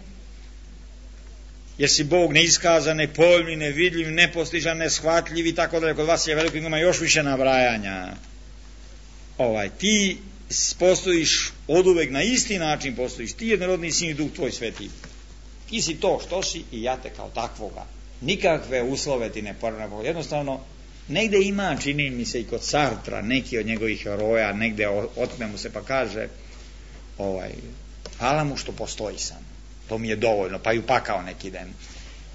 jer si Bog neiskazan, nepojmljiv, nevidljiv, nepostižan, neshvatljiv i tako dalje. Kod vas je veliko, ima još više nabrajanja. Ti postojiš oduvek na isti način, postojiš ti jednorodni sin i Duh tvoj sveti. Ti si to što si i ja te kao takvoga. Nikakve uslove ti ne porane. Jednostavno, negde ima, čini mi se i kod Sartra, neki od njegovih heroja, negde otme mu se pa kaže, hvala mu što postoji sam. To mi je dovoljno, pa i upakao neki den.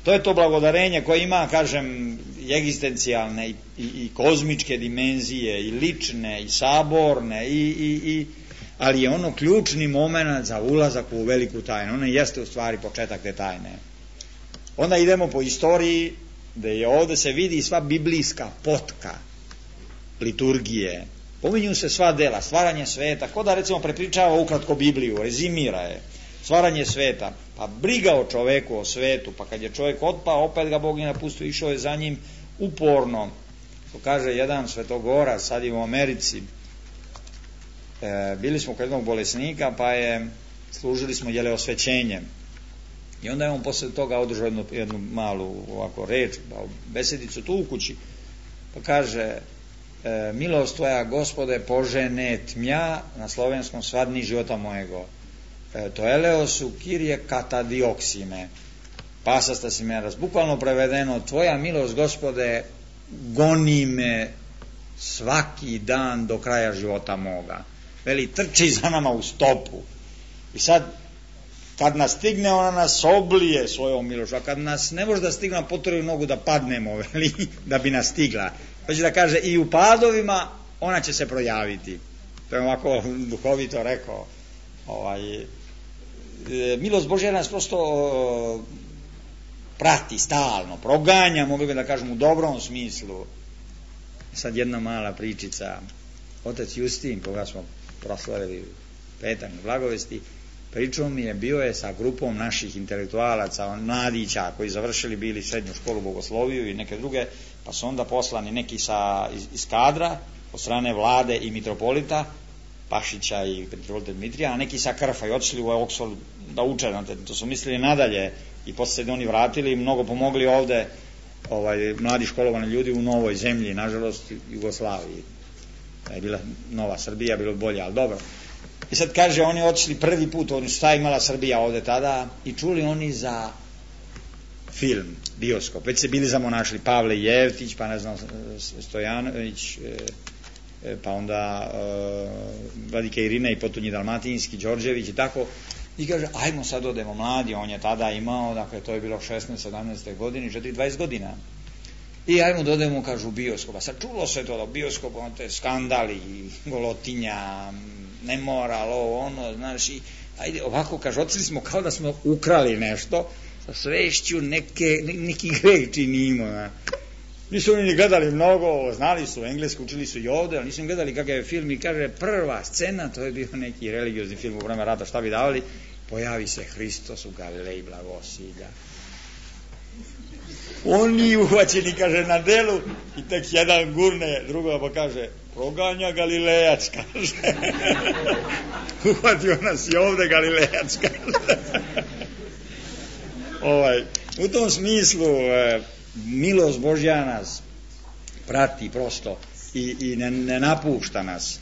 To je to blagodarenje koje ima, kažem, egzistencijalne i kozmičke dimenzije, i lične, i saborne, ali je ono ključni moment za ulazak u veliku tajnu. Ono jeste u stvari početak te tajne. Onda idemo po istoriji, gde je ovde se vidi sva biblijska potka liturgije. Pominju se sva dela, stvaranje sveta, ko da recimo prepričava ukratko Bibliju, rezimira je. Stvaranje sveta, pa briga o čoveku, o svetu, pa kad je čovjek otpao, opet ga Bog je napustio, išao je za njim uporno. To kaže jedan svetogorac, sad je u Americi, bili smo kod jednog bolesnika, pa služili smo osvećenje. I onda je on posle toga održao jednu malu ovako reč, besedicu tu u kući, pa kaže, milost tvoja, Gospode, požene tmja, na slovenskom svadni života mojego. To eleosu kirije katadioksime, pasasta si me raz. Bukvalno prevedeno, tvoja milost, Gospode, goni me svaki dan do kraja života moga. Veli, trči za nama u stopu. I sad, kad nas stigne, ona nas oblije svojom milošću, a kad nas ne može da stigne, potrebu nogu da padnemo, veli, da bi nas stigla. To će da kaže, i u padovima ona će se projaviti. To je ovako duhovito rekao. Milost Božja nas prosto prati stalno, proganja, mogli bi da kažem u dobrom smislu. Sad jedna mala pričica. Otac Justin, koga smo proslavili petak na Blagovesti, pričao mi je, bio je sa grupom naših intelektualaca, mladića koji završili bili srednju školu bogosloviju i neke druge, pa su onda poslani neki iz kadra od strane vlade i mitropolita Pašića i mitropolita Dmitrija, a neki sa Krfa i otišli u Oxford da uče, to su mislili nadalje i posle se oni vratili i mnogo pomogli ovde mladi školovani ljudi u novoj zemlji, nažalost Jugoslaviji. Da je bila nova Srbija, bilo bolje, ali dobro. I sad kaže, oni otišli prvi put, šta je imala Srbija ovde tada, i čuli oni za film, bioskop, već se bili zamonašli Pavle Jevtić, pa ne znam, Stojanović, pa onda Vladika Irina i Potonji Dalmatinski, Đorđević i tako, I kaže, ajmo sad odemo mladi, on je tada imao, dakle to je bilo 16-17. godini, 20 godina. I ajmo da odemo, kažu, u bioskop. A sad čulo se to da u bioskopu, te skandali, golotinja, nemoral, ono, znaš, i ajde, ovako, kaže, otišli smo kao da smo ukrali nešto, sa svešću neki greh činimo. Nisu oni ni gledali mnogo, znali su engleski, učili su i ovde, ali nisu im gledali kakav je film i kaže, prva scena, to je bio neki religiozni film u vreme rata, šta bi davali, pojavi se Hristos u Galileji blagosilja. Oni uhvaćeni, kaže, na delu i tek jedan gurne drugoga pa kaže, proganja Galilejac, kaže. Uhvatio nas i ovde Galilejac, kaže. U tom smislu milost Božja nas prati prosto i ne napušta nas.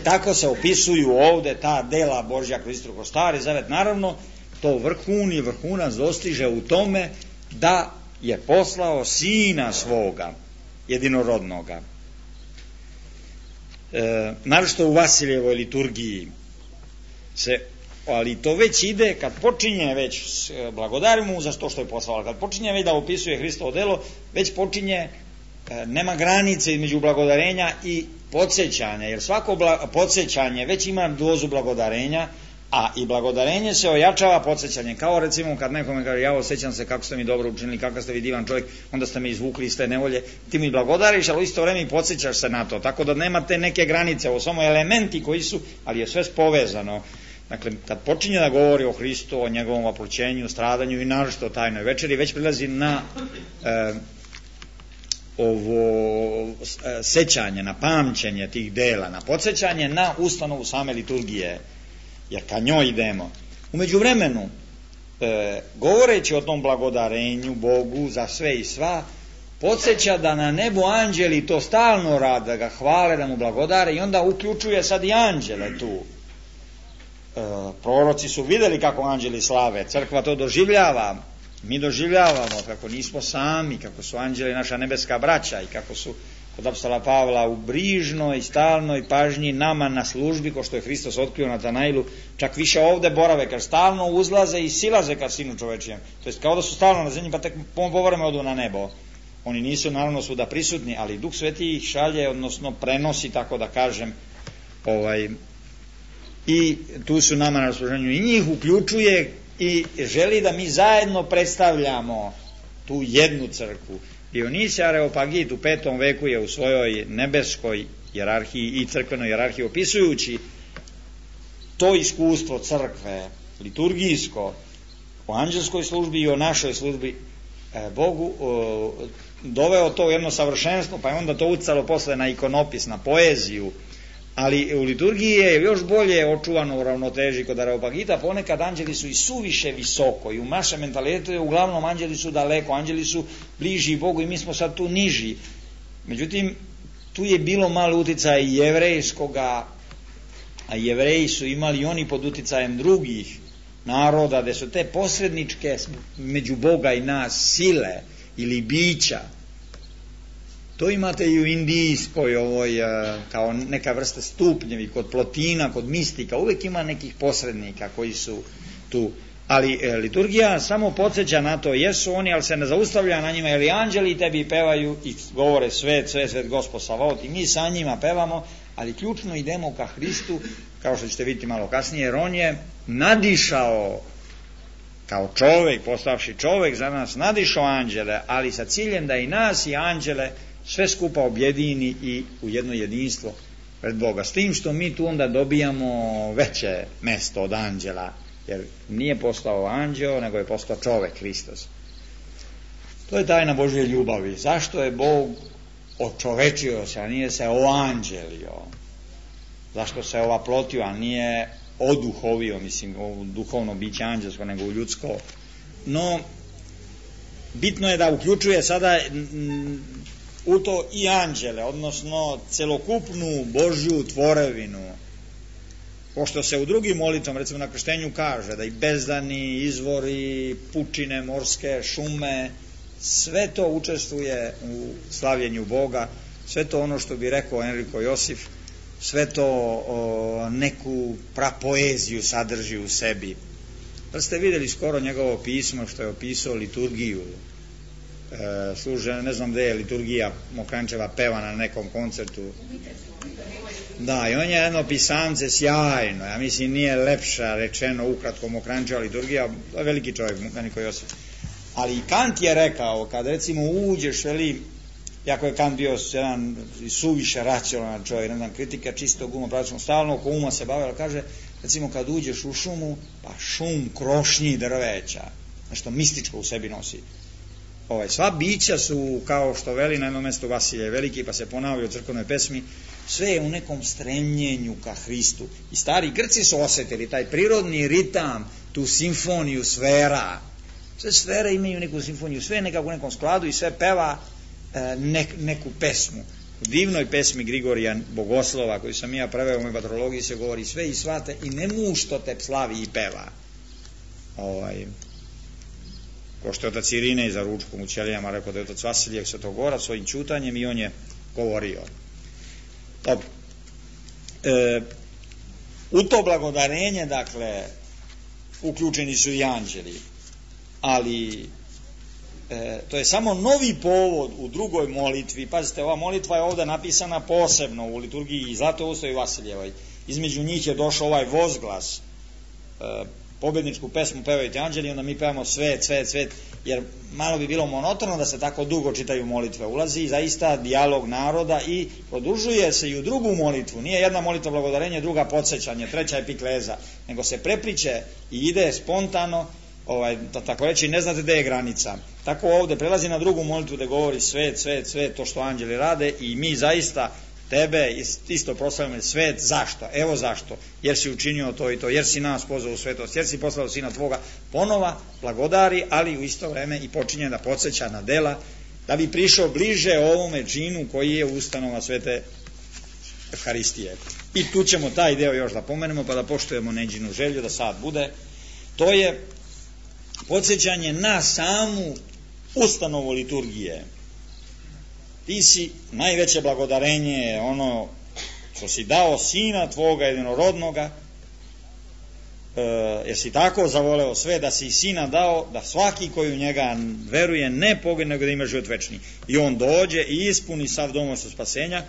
Tako se opisuju ovde ta dela Božja kroz Stari Zavet. Naravno, to vrhunac dostiže u tome da je poslao Sina svoga, jedinorodnoga. Naravno u Vasiljevoj liturgiji ali to već ide, kad počinje već blagodari mu za to što je poslao, kad počinje već da opisuje Hristovo delo, već počinje, nema granice između blagodarenja i podsjećanja, jer svako podsjećanje već ima dozu blagodarenja, a i blagodarenje se ojačava podsjećanjem, kao recimo kad nekome kaže, ja osjećam se kako ste mi dobro učinili, kakav ste vi divan čovjek, onda ste me izvukli iz te nevolje, ti mi blagodariš, ali u isto vreme i podsjećaš se na to, tako da nemate neke granice, ovo samo elementi koji su, ali je sve povezano. Dakle, kad počinje da govori o Hristu, o njegovom oploćenju, stradanju i naročito o tajnoj večeri, već prilazi na ovo sećanje, na pamćenje tih dela, na podsjećanje na ustanovu same liturgije, jer ka njoj idemo. U međuvremenu, govoreći o tom blagodarenju Bogu za sve i sva, podsjeća da na nebu anđeli to stalno rade, da ga hvale, da mu blagodare i onda uključuje sad i anđele tu. Proroci su videli kako anđeli slave, crkva to doživljava, mi doživljavamo kako nismo sami, kako su anđeli naša nebeska braća i kako su kod apostola Pavla u brižnoj i stalnoj pažnji nama na službi, ko što je Hristos otkrio Natanailu, čak više ovde borave, kad stalno uzlaze i silaze ka Sinu čovečijem, to jest kao da su stalno na zemlji pa tek povreme odu na nebo. Oni nisu naravno svuda prisutni, ali Duh Sveti ih šalje, odnosno prenosi, tako da kažem, i tu su nama na raspoloženju i njih uključuje i želi da mi zajedno predstavljamo tu jednu crkvu. Dionisije Areopagit u 5. veku je u svojoj nebeskoj hijerarhiji i crkvenoj hijerarhiji opisujući to iskustvo crkve, liturgijsko, o anđelskoj službi i o našoj službi Bogu, doveo to u jedno savršenstvo, pa je onda to ucalo posle na ikonopis, na poeziju, ali u liturgiji je još bolje očuvano u ravnoteži kod Areopagita, ponekad anđeli su i suviše visoko i u našem mentalitetu je uglavnom anđeli su daleko, anđeli su bliži Bogu i mi smo sad tu niži. Međutim, tu je bilo malo uticaja i jevrejskoga, a jevreji su imali oni pod uticajem drugih naroda, gde su te posredničke među Boga i nas sile ili bića. To imate i u indijskoj kao neka vrsta stupnjevi, kod plotina, kod mistika, uvek ima nekih posrednika koji su tu. Ali liturgija samo podsjeća na to, jesu oni, ali se ne zaustavlja na njima, jer i anđeli tebi pevaju i govore svet, Gospod Savaot, i mi sa njima pevamo, ali ključno idemo ka Hristu, kao što ćete vidjeti malo kasnije, jer on je nadišao kao čovek, postavši čovek za nas, nadišao anđele, ali sa ciljem da i nas i anđele sve skupa objedini i u jedno jedinstvo pred Boga. S tim što mi tu onda dobijamo veće mesto od anđela, jer nije postao anđeo, nego je postao čovek, Hristos. To je tajna Božje ljubavi. Zašto je Bog očovečio se, a nije se oanđelio? Zašto se ovaplotio, a nije oduhovio, mislim, u duhovno biće anđelsko, nego u ljudsko? No, bitno je da uključuje sada u to i anđele, odnosno celokupnu Božju tvorevinu. Pošto se u drugim molitvom, recimo na krštenju, kaže da i bezdani, izvori, pučine, morske, šume, sve to učestvuje u slavljenju Boga, sve to ono što bi rekao Enriko Josif, sve to neku prapoeziju sadrži u sebi. Da ste vidjeli skoro njegovo pismo što je opisao liturgiju, služe, ne znam gde je liturgija Mokranjčeva pevana na nekom koncertu. Da, i on je jedno pisamce sjajno, ja mislim nije lepša rečeno ukratko Mokranjčeva liturgija, to je veliki čovjek, Niko Josif. Ali i Kant je rekao, kad recimo uđeš, jako je Kant bio jedan suviše racionalan čovjek, ne znam, kritika čistog uma, pravično, stalno oko uma se bavila, kaže, recimo kad uđeš u šumu, pa šum krošnji drveća, nešto mističko u sebi nosi. Sva bića su, kao što veli na jednom mjestu Vasilje Veliki, pa se ponavlja u crkvenoj pesmi, sve je u nekom stremljenju ka Hristu. I stari Grci su osjetili taj prirodni ritam, tu simfoniju sfera. Sve sfere imaju neku simfoniju, sve je nekako u nekom skladu i sve peva neku pesmu. U divnoj pesmi Grigorija Bogoslova, koju sam ja preveo u mojoj patrologiji, se govori sve i svate i nemu što te slavi i peva. Ko što je otac Irine za ručkom u Ćelijama rekao da je otac Vasilije Svetogorac svojim čutanjem i on je govorio. Dobro. U to blagodarenje, dakle, uključeni su i anđeli, ali to je samo novi povod u drugoj molitvi. Pazite, ova molitva je ovdje napisana posebno u liturgiji Zlatoustoj i Vasiljevoj. Između njih je došao ovaj vozglas, pobjedničku pesmu pevaju ti anđeli, onda mi pevamo svet, svet, svet, jer malo bi bilo monotono da se tako dugo čitaju molitve. Ulazi zaista dijalog naroda i produžuje se i u drugu molitvu. Nije jedna molitva blagodarenje, druga podsjećanje, treća epikleza, nego se prepliče i ide spontano, tako reći, ne znate gde je granica. Tako ovdje prelazi na drugu molitvu gde govori svet, svet, svet, to što anđeli rade i mi zaista tebe isto proslavljamo svet. Zašto? Evo zašto. Jer si učinio to i to, jer si nas pozvao u svetost, jer si poslao sina tvoga. Ponova blagodari, ali u isto vreme i počinje da podsjeća na dela, da bi prišao bliže ovome činu koji je ustanova svete Evharistije. I tu ćemo taj deo još da pomenemo, pa da poštujemo Neđinu želju da sad bude. To je podsjećanje na samu ustanovu liturgije. Ti si najveće blagodarenje, ono što si dao sina tvoga jedinorodnoga, jer si tako zavoleo sve da si i sina dao, da svaki koji u njega veruje ne pogine, nego da ima život večni. I on dođe i ispuni sav domostvu spasenja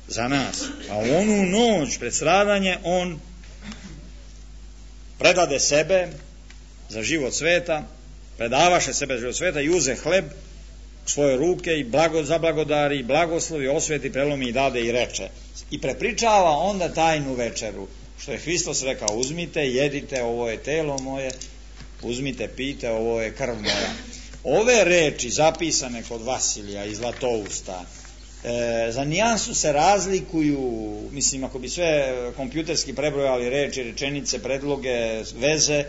za nas. A u onu noć pred stradanje on predade sebe za život sveta, predavaše sebe za život sveta i uze hleb u svoje ruke i zablagodari, blagoslovi, osveti, prelomi i dade i reče. I prepričava onda tajnu večeru, što je Hristos rekao, uzmite, jedite, ovo je telo moje, uzmite, pijte, ovo je krv moja. Ove reči zapisane kod Vasilija i Zlatousta, za nijansu se razlikuju, mislim, ako bi sve kompjuterski prebrojali reči, rečenice, predloge, veze,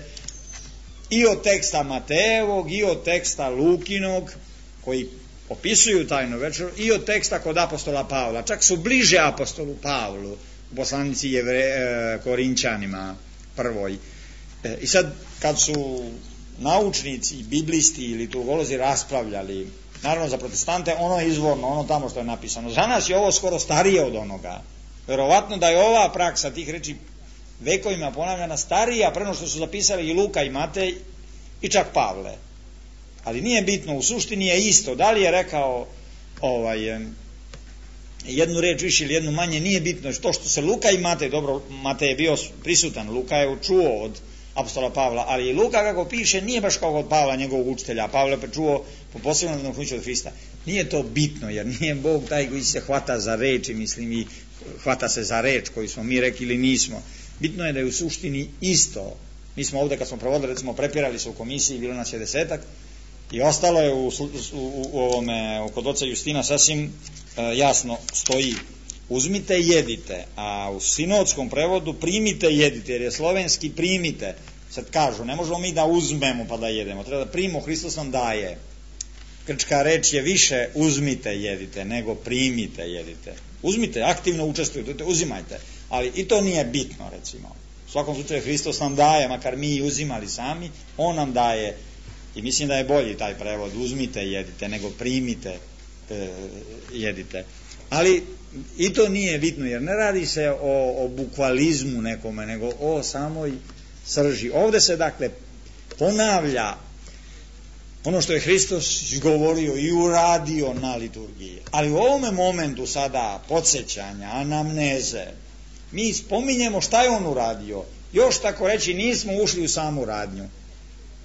i od teksta Matejevog, i od teksta Lukinog, koji opisuju tajnu večeru, i od teksta kod apostola Pavla. Čak su bliže apostolu Pavlu, poslanici Korinćanima prvoj. I sad, kad su naučnici, biblisti ili liturgolozi raspravljali, naravno za protestante ono je izvorno, ono tamo što je napisano. Za nas je ovo skoro starije od onoga. Verovatno da je ova praksa tih reči vekovima ponavljana starija preno što su zapisali i Luka i Matej i čak Pavle. Ali nije bitno, u suštini je isto. Da li je rekao jednu reč više ili jednu manje, nije bitno. To što se Luka i Matej, dobro, Matej je bio prisutan, Luka je čuo od apostola Pavla, ali i Luka kako piše nije baš kao od Pavla, njegovog učitelja. Pavle je čuo po posebnom nadahnuću od Hrista. Nije to bitno, jer nije Bog taj koji se hvata za reči, mislim, i hvata se za reč koju smo mi rekli ili nismo. Bitno je da je u suštini isto. Mi smo ovdje kad smo provodili, recimo, prepirali se u komisiji, bilo nas je 10 i ostalo je kod oca Justina sasvim jasno stoji uzmite, jedite, a u sinodskom prevodu primite, jedite, jer je slovenski primite. Sad kažu, ne možemo mi da uzmemo pa da jedemo, treba da primimo, Hristos nam daje. Grčka reč je više uzmite, jedite, nego primite, jedite. Uzmite, aktivno učestvujte, uzimajte, ali i to nije bitno, recimo. U svakom slučaju Hristos nam daje, makar mi uzimali sami, on nam daje. I mislim da je bolji taj prevod, uzmite, jedite, nego primite, jedite. Ali i to nije bitno, jer ne radi se o bukvalizmu nekome, nego o samoj srži. Ovde se dakle ponavlja ono što je Hristos izgovorio i uradio na liturgiji. Ali u ovome momentu sada podsjećanja, anamneze, mi spominjemo šta je on uradio. Još tako reći nismo ušli u samu radnju.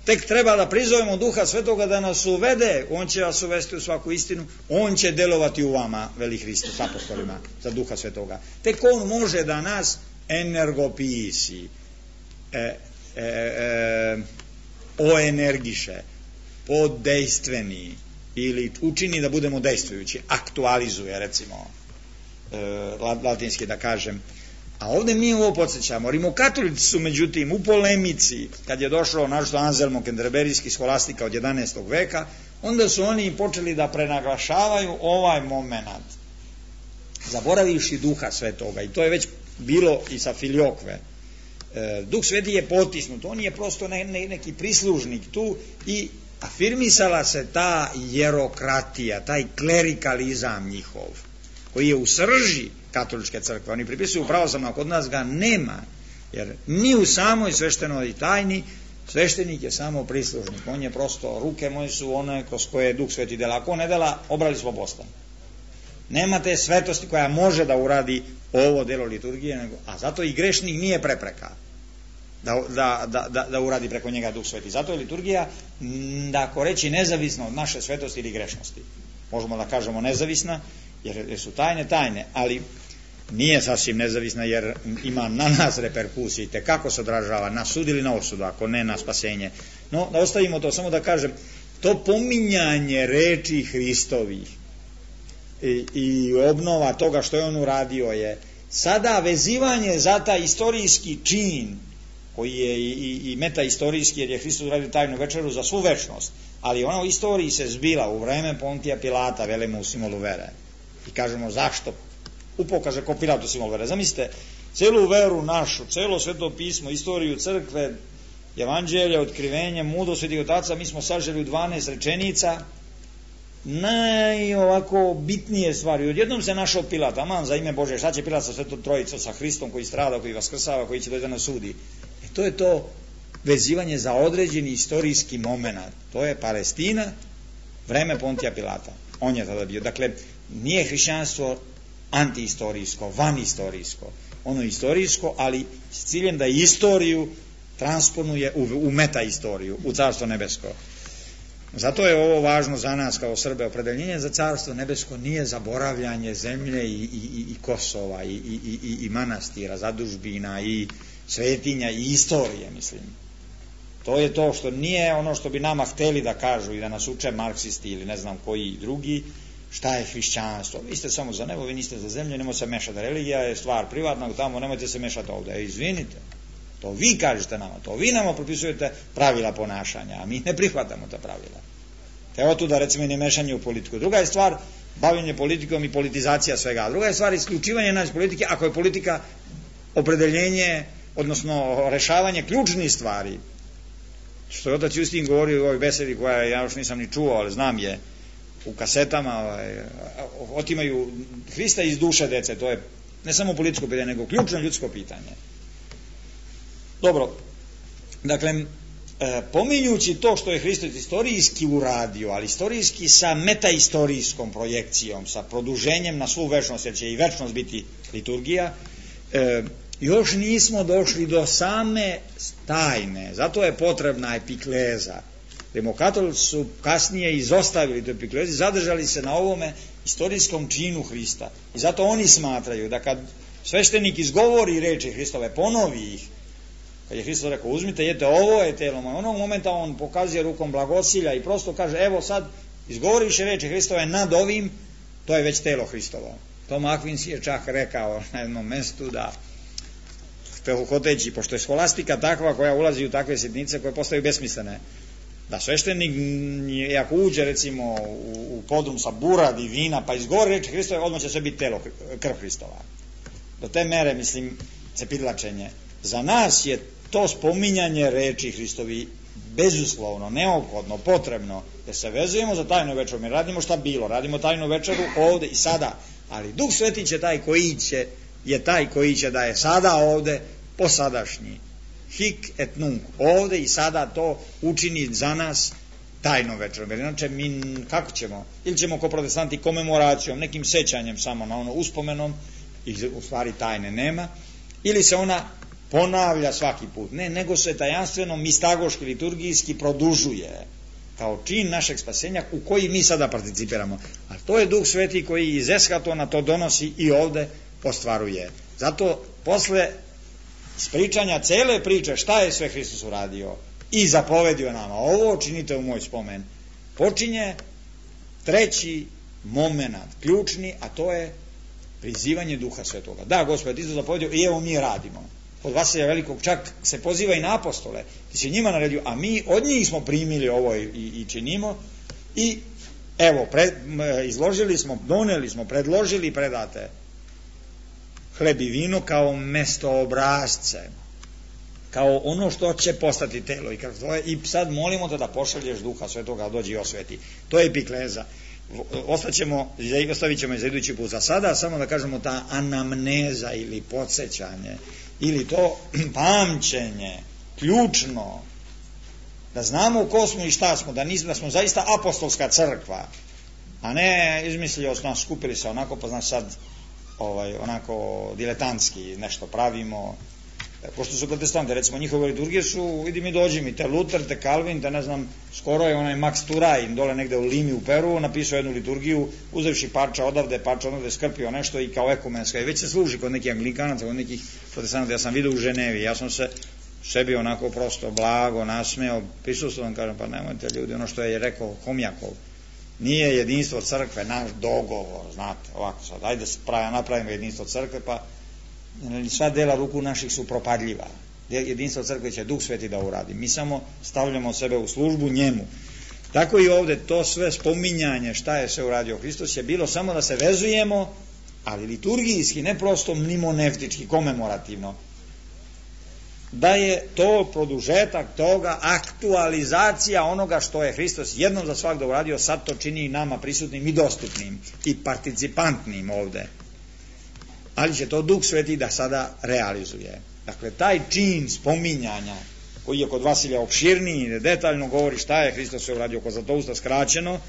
Tek treba da prizovemo Duha Svetoga da nas uvede, on će vas uvesti u svaku istinu, on će delovati u vama, veli Hristos apostolima, za Duha Svetoga. Tek on može da nas energopisi, oenergiše, poddejstveni ili učini da budemo dejstvujući, aktualizuje, recimo, latinski da kažem. A ovdje mi ovo podsjećamo. Rimokatolici su međutim u polemici, kad je došlo našto Anselmo Kenterberijski scholastika od 11. veka, onda su oni počeli da prenaglašavaju ovaj moment, zaboravivši Duha Svetoga, i to je već bilo i sa Filiokve. Duh Sveti je potisnut, on je prosto neki prislužnik tu i afirmisala se ta jerokratija, taj klerikalizam njihov, koji je u srži katoličke crkve. Oni pripisuju pravoslavno, kod nas ga nema, jer ni u samoj sveštenoj tajni sveštenik je samo prislužnik, on je prosto, ruke moje su one kroz koje Duh Sveti dela, ako ne dela, obrali smo postan. Nema te svetosti koja može da uradi ovo delo liturgije, a zato i grešnik nije prepreka da uradi preko njega Duh Sveti. Zato je liturgija, da ako reći, nezavisna od naše svetosti ili grešnosti. Možemo da kažemo nezavisna, jer su tajne, ali nije sasvim nezavisna, jer ima na nas reperkusije, te kako se odražava na sud ili na osudu, ako ne na spasenje. No, da ostavimo to, samo da kažem, to pominjanje reči Hristovih i obnova toga što je on uradio je sada vezivanje za taj istorijski čin, koji je i metaistorijski, jer je Hristos uradio tajnu večeru za svu večnost, ali ona u istoriji se zbila u vreme Pontija Pilata, velimo u simbolu vere. I kažemo zašto? Upokaže ko Pilat u simbolu vere. Zamislite, celu veru našu, celo Sveto pismo, istoriju crkve, evanđelja, otkrivenje, mudrost Svetih otaca, mi smo saželi u 12 rečenica, ovako bitnije stvari. Odjednom se našao Pilat, aman za ime Bože, šta će Pilat sa Svetom Trojicom, sa Hristom koji strada, koji vaskrsava, koji će doći da nas sudi. To je to vezivanje za određeni istorijski moment. To je Palestina, vreme Pontija Pilata. On je tada bio. Dakle, nije hrišćanstvo antiistorijsko, vanistorijsko. Ono je istorijsko, ali s ciljem da istoriju transponuje u metaistoriju, u Carstvo nebesko. Zato je ovo važno za nas kao Srbe. Opredeljenje za Carstvo nebesko nije zaboravljanje zemlje i Kosova i manastira, zadužbina i svetinja i istorije, mislim. To je to što nije ono što bi nama hteli da kažu i da nas uče marksisti ili ne znam koji drugi, šta je hrišćanstvo. Vi ste samo za nebo, vi niste za zemlju, nemojte se mešati. Religija je stvar privatnog, tamo nemojte se mešati ovdje. Izvinite, to vi kažete nama, to vi nama propisujete pravila ponašanja, a mi ne prihvatamo ta pravila. Evo tu da recimo i ne mešanje u politiku. Druga je stvar bavljenje politikom i politizacija svega. Druga je stvar isključivanje nas politike, ako je politika opredeljenje, odnosno rešavanje ključnih stvari. Što je otac Justin govorio u ovoj besedi koja ja još nisam ni čuo, ali znam je u kasetama, otimaju Hrista iz duše dece, to je ne samo političko pitanje, nego ključno ljudsko pitanje. Dobro, dakle, pominjući to što je Hristos istorijski uradio, ali istorijski sa metaistorijskom projekcijom, sa produženjem na svu večnost, jer će i večnost biti liturgija, još nismo došli do same tajne, zato je potrebna epikleza. Rimokatolici su kasnije izostavili tu epiklezi, zadržali se na ovome istorijskom činu Hrista. I zato oni smatraju da kad sveštenik izgovori reči Hristove, ponovi ih, kad je Hristos rekao uzmite, jete, ovo je telo moje, onog momenta on pokazuje rukom blagosilja i prosto kaže evo sad izgovoriše reči Hristove nad ovim, to je već telo Hristovo. Tom Akvinski je čak rekao na jednom mestu da hoteći, pošto je scholastika takva koja ulazi u takve sitnice koje postaju besmislene, da sveštenik ako uđe recimo u podrum sa buradi vina pa izgovori reči Hristove, odmah će sve biti telo, krv Hristova. Do te mere, mislim, cepidlačenje. Za nas je to spominjanje reči Hristovi bezuslovno, neophodno, potrebno da se vezujemo za tajnu večeru. Mi radimo šta bilo, radimo tajnu večeru ovde i sada, ali Duh Sveti će taj koji će da je sada ovde po sadašnji. Hic et nunc, ovde i sada to učini za nas tajnom večerom. Jer inače mi kako ćemo? Ili ćemo ko protestanti komemoracijom, nekim sećanjem samo na ono uspomenom, i u stvari tajne nema, ili se ona ponavlja svaki put. Ne, nego se tajanstveno, mistagoški, liturgijski produžuje kao čin našeg spasenja u koji mi sada participiramo. A to je Duh Sveti koji iz eskatona to donosi i ovde ostvaruje. Zato posle ispričanja cele priče šta je sve Hristos uradio i zapovedio nama, ovo činite u moj spomen, počinje treći momenat, ključni, a to je prizivanje Duha Svetoga. Da, Gospod, ti su zapovedio i evo mi radimo. Od Vasilija Velikog čak se poziva i na apostole, ti si njima naredio, a mi od njih smo primili ovo i činimo, i evo, izložili smo, doneli smo, predložili i predate hleb i vino kao mestoobrazce, kao ono što će postati telo i krv tvoje, i sad molimo te da pošalješ Duha Svetoga da dođe i osveti. To je epikleza. Ostavit ćemo za idući put. Za sada samo da kažemo ta anamneza ili podsjećanje ili to pamćenje ključno, da znamo ko smo i šta smo, da smo zaista apostolska crkva, a ne izmislio nas, skupili se onako, pa znaš sad onako diletantski nešto pravimo. Pošto su protestanti, recimo njihove liturgije su, vidi mi dođi mi, te Luter, te Calvin, te ne znam, skoro je onaj Max Turaj dole negde u Limi u Peru napisao jednu liturgiju, uzevši parča odavde, skrpio nešto i kao ekumenska, i već se služi kod nekih anglikanaca, kod nekih protestanata. Ja sam vidio u Ženevi, ja sam se sebi onako prosto blago nasmeo, prisustvovan, kažem, pa nemojte ljudi, ono što je rekao Homjakov, nije jedinstvo crkve naš dogovor, znate, ovako sad, ajde napravimo jedinstvo crkve, pa sva dela ruku naših su propadljiva. Jedinstvo crkve će Duh Sveti da uradi. Mi samo stavljamo sebe u službu njemu. Tako i ovde to sve spominjanje šta je sve uradio Hristos je bilo samo da se vezujemo, ali liturgijski, ne prosto mnemoneftički, komemorativno. Da je to produžetak toga, aktualizacija onoga što je Hristos jednom za svakda uradio, sad to čini i nama prisutnim i dostupnim i participantnim ovde. Ali će to Duh Sveti da sada realizuje. Dakle, taj čin spominjanja, koji je kod Vasilija opširniji, detaljno govori šta je Hristos sve uradio, kod Zlatousta skraćeno,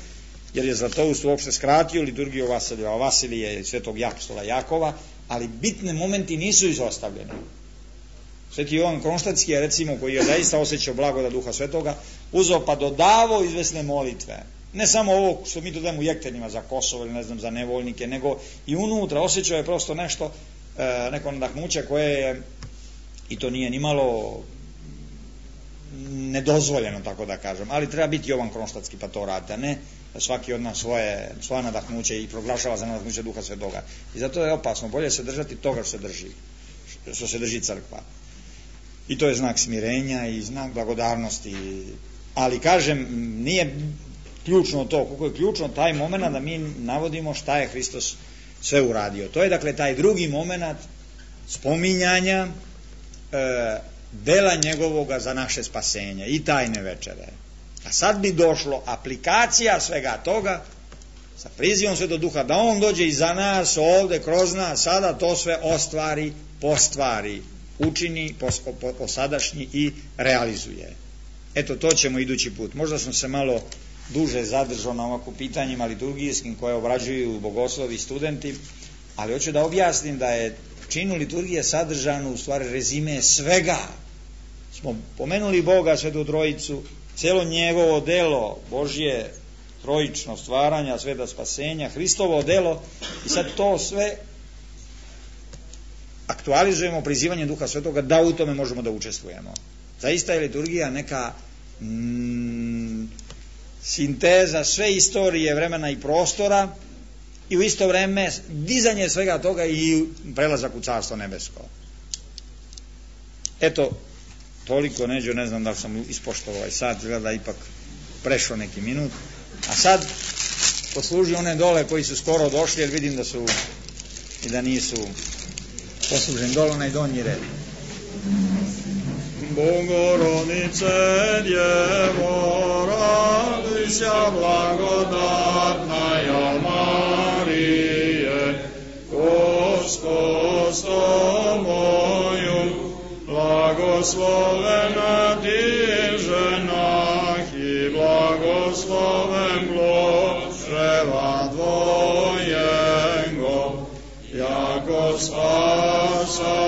jer je Zlatoust uopšte skratio liturgiju Vasilija, a Vasilije je svetog apostola Jakova, ali bitne momenti nisu izostavljeni. Sveti Jovan Kronštatski je, recimo, koji je zaista osjećao blagodat Duha Svetoga, uzeo pa dodavao izvesne molitve. Ne samo ovo što mi dodajemo u jektenima za Kosovo ili ne znam za nevoljnike, nego i unutra osjećao je prosto nešto, neko nadahnuće koje je, i to nije nimalo nedozvoljeno, tako da kažem, ali treba biti Jovan Kronštatski pa to radite, a ne svaki od nas svoje nadahnuće i proglašava za nadahnuće Duha Svetoga. I zato je opasno, bolje se držati toga što se drži crkva. I to je znak smirenja i znak blagodarnosti. Ali kažem, nije ključno to, koliko je ključno taj moment da mi navodimo šta je Hristos sve uradio. To je dakle taj drugi moment spominjanja dela njegovoga za naše spasenje i tajne večere. A sad bi došlo aplikacija svega toga sa prizivom Svetog Duha, da on dođe i za nas ovde, kroz nas, sada to sve ostvari, postvari, učini, posadašnji i realizuje. Eto, to ćemo idući put. Možda sam se malo duže zadržao na ovako pitanjima liturgijskim koje obrađuju bogoslovi i studenti, ali hoću da objasnim da je činu liturgije sadržano u stvari rezime svega. Smo pomenuli Boga, Svetu Trojicu, celo njegovo delo, Božje trojično stvaranja, sveta spasenja, Hristovo delo, i sad to sve aktualizujemo prizivanjem Duha Svetoga da u tome možemo da učestvujemo. Zaista je liturgija neka sinteza sve istorije, vremena i prostora, i u isto vreme dizanje svega toga i prelazak u Carstvo nebesko. Eto, toliko, Neđo, ne znam da li sam ispoštovao ovaj sat, gleda ipak prešao neki minut, a sad posluži one dole koji su skoro došli, jer vidim da su i da nisu posluženi dole, onaj donji red. Bogorodice, Djevo, radujся, blagodatnaja Marije, Gospod s tobою, blagoslovena ti ženah i blagosloven plod čreva tvojego, jako spasa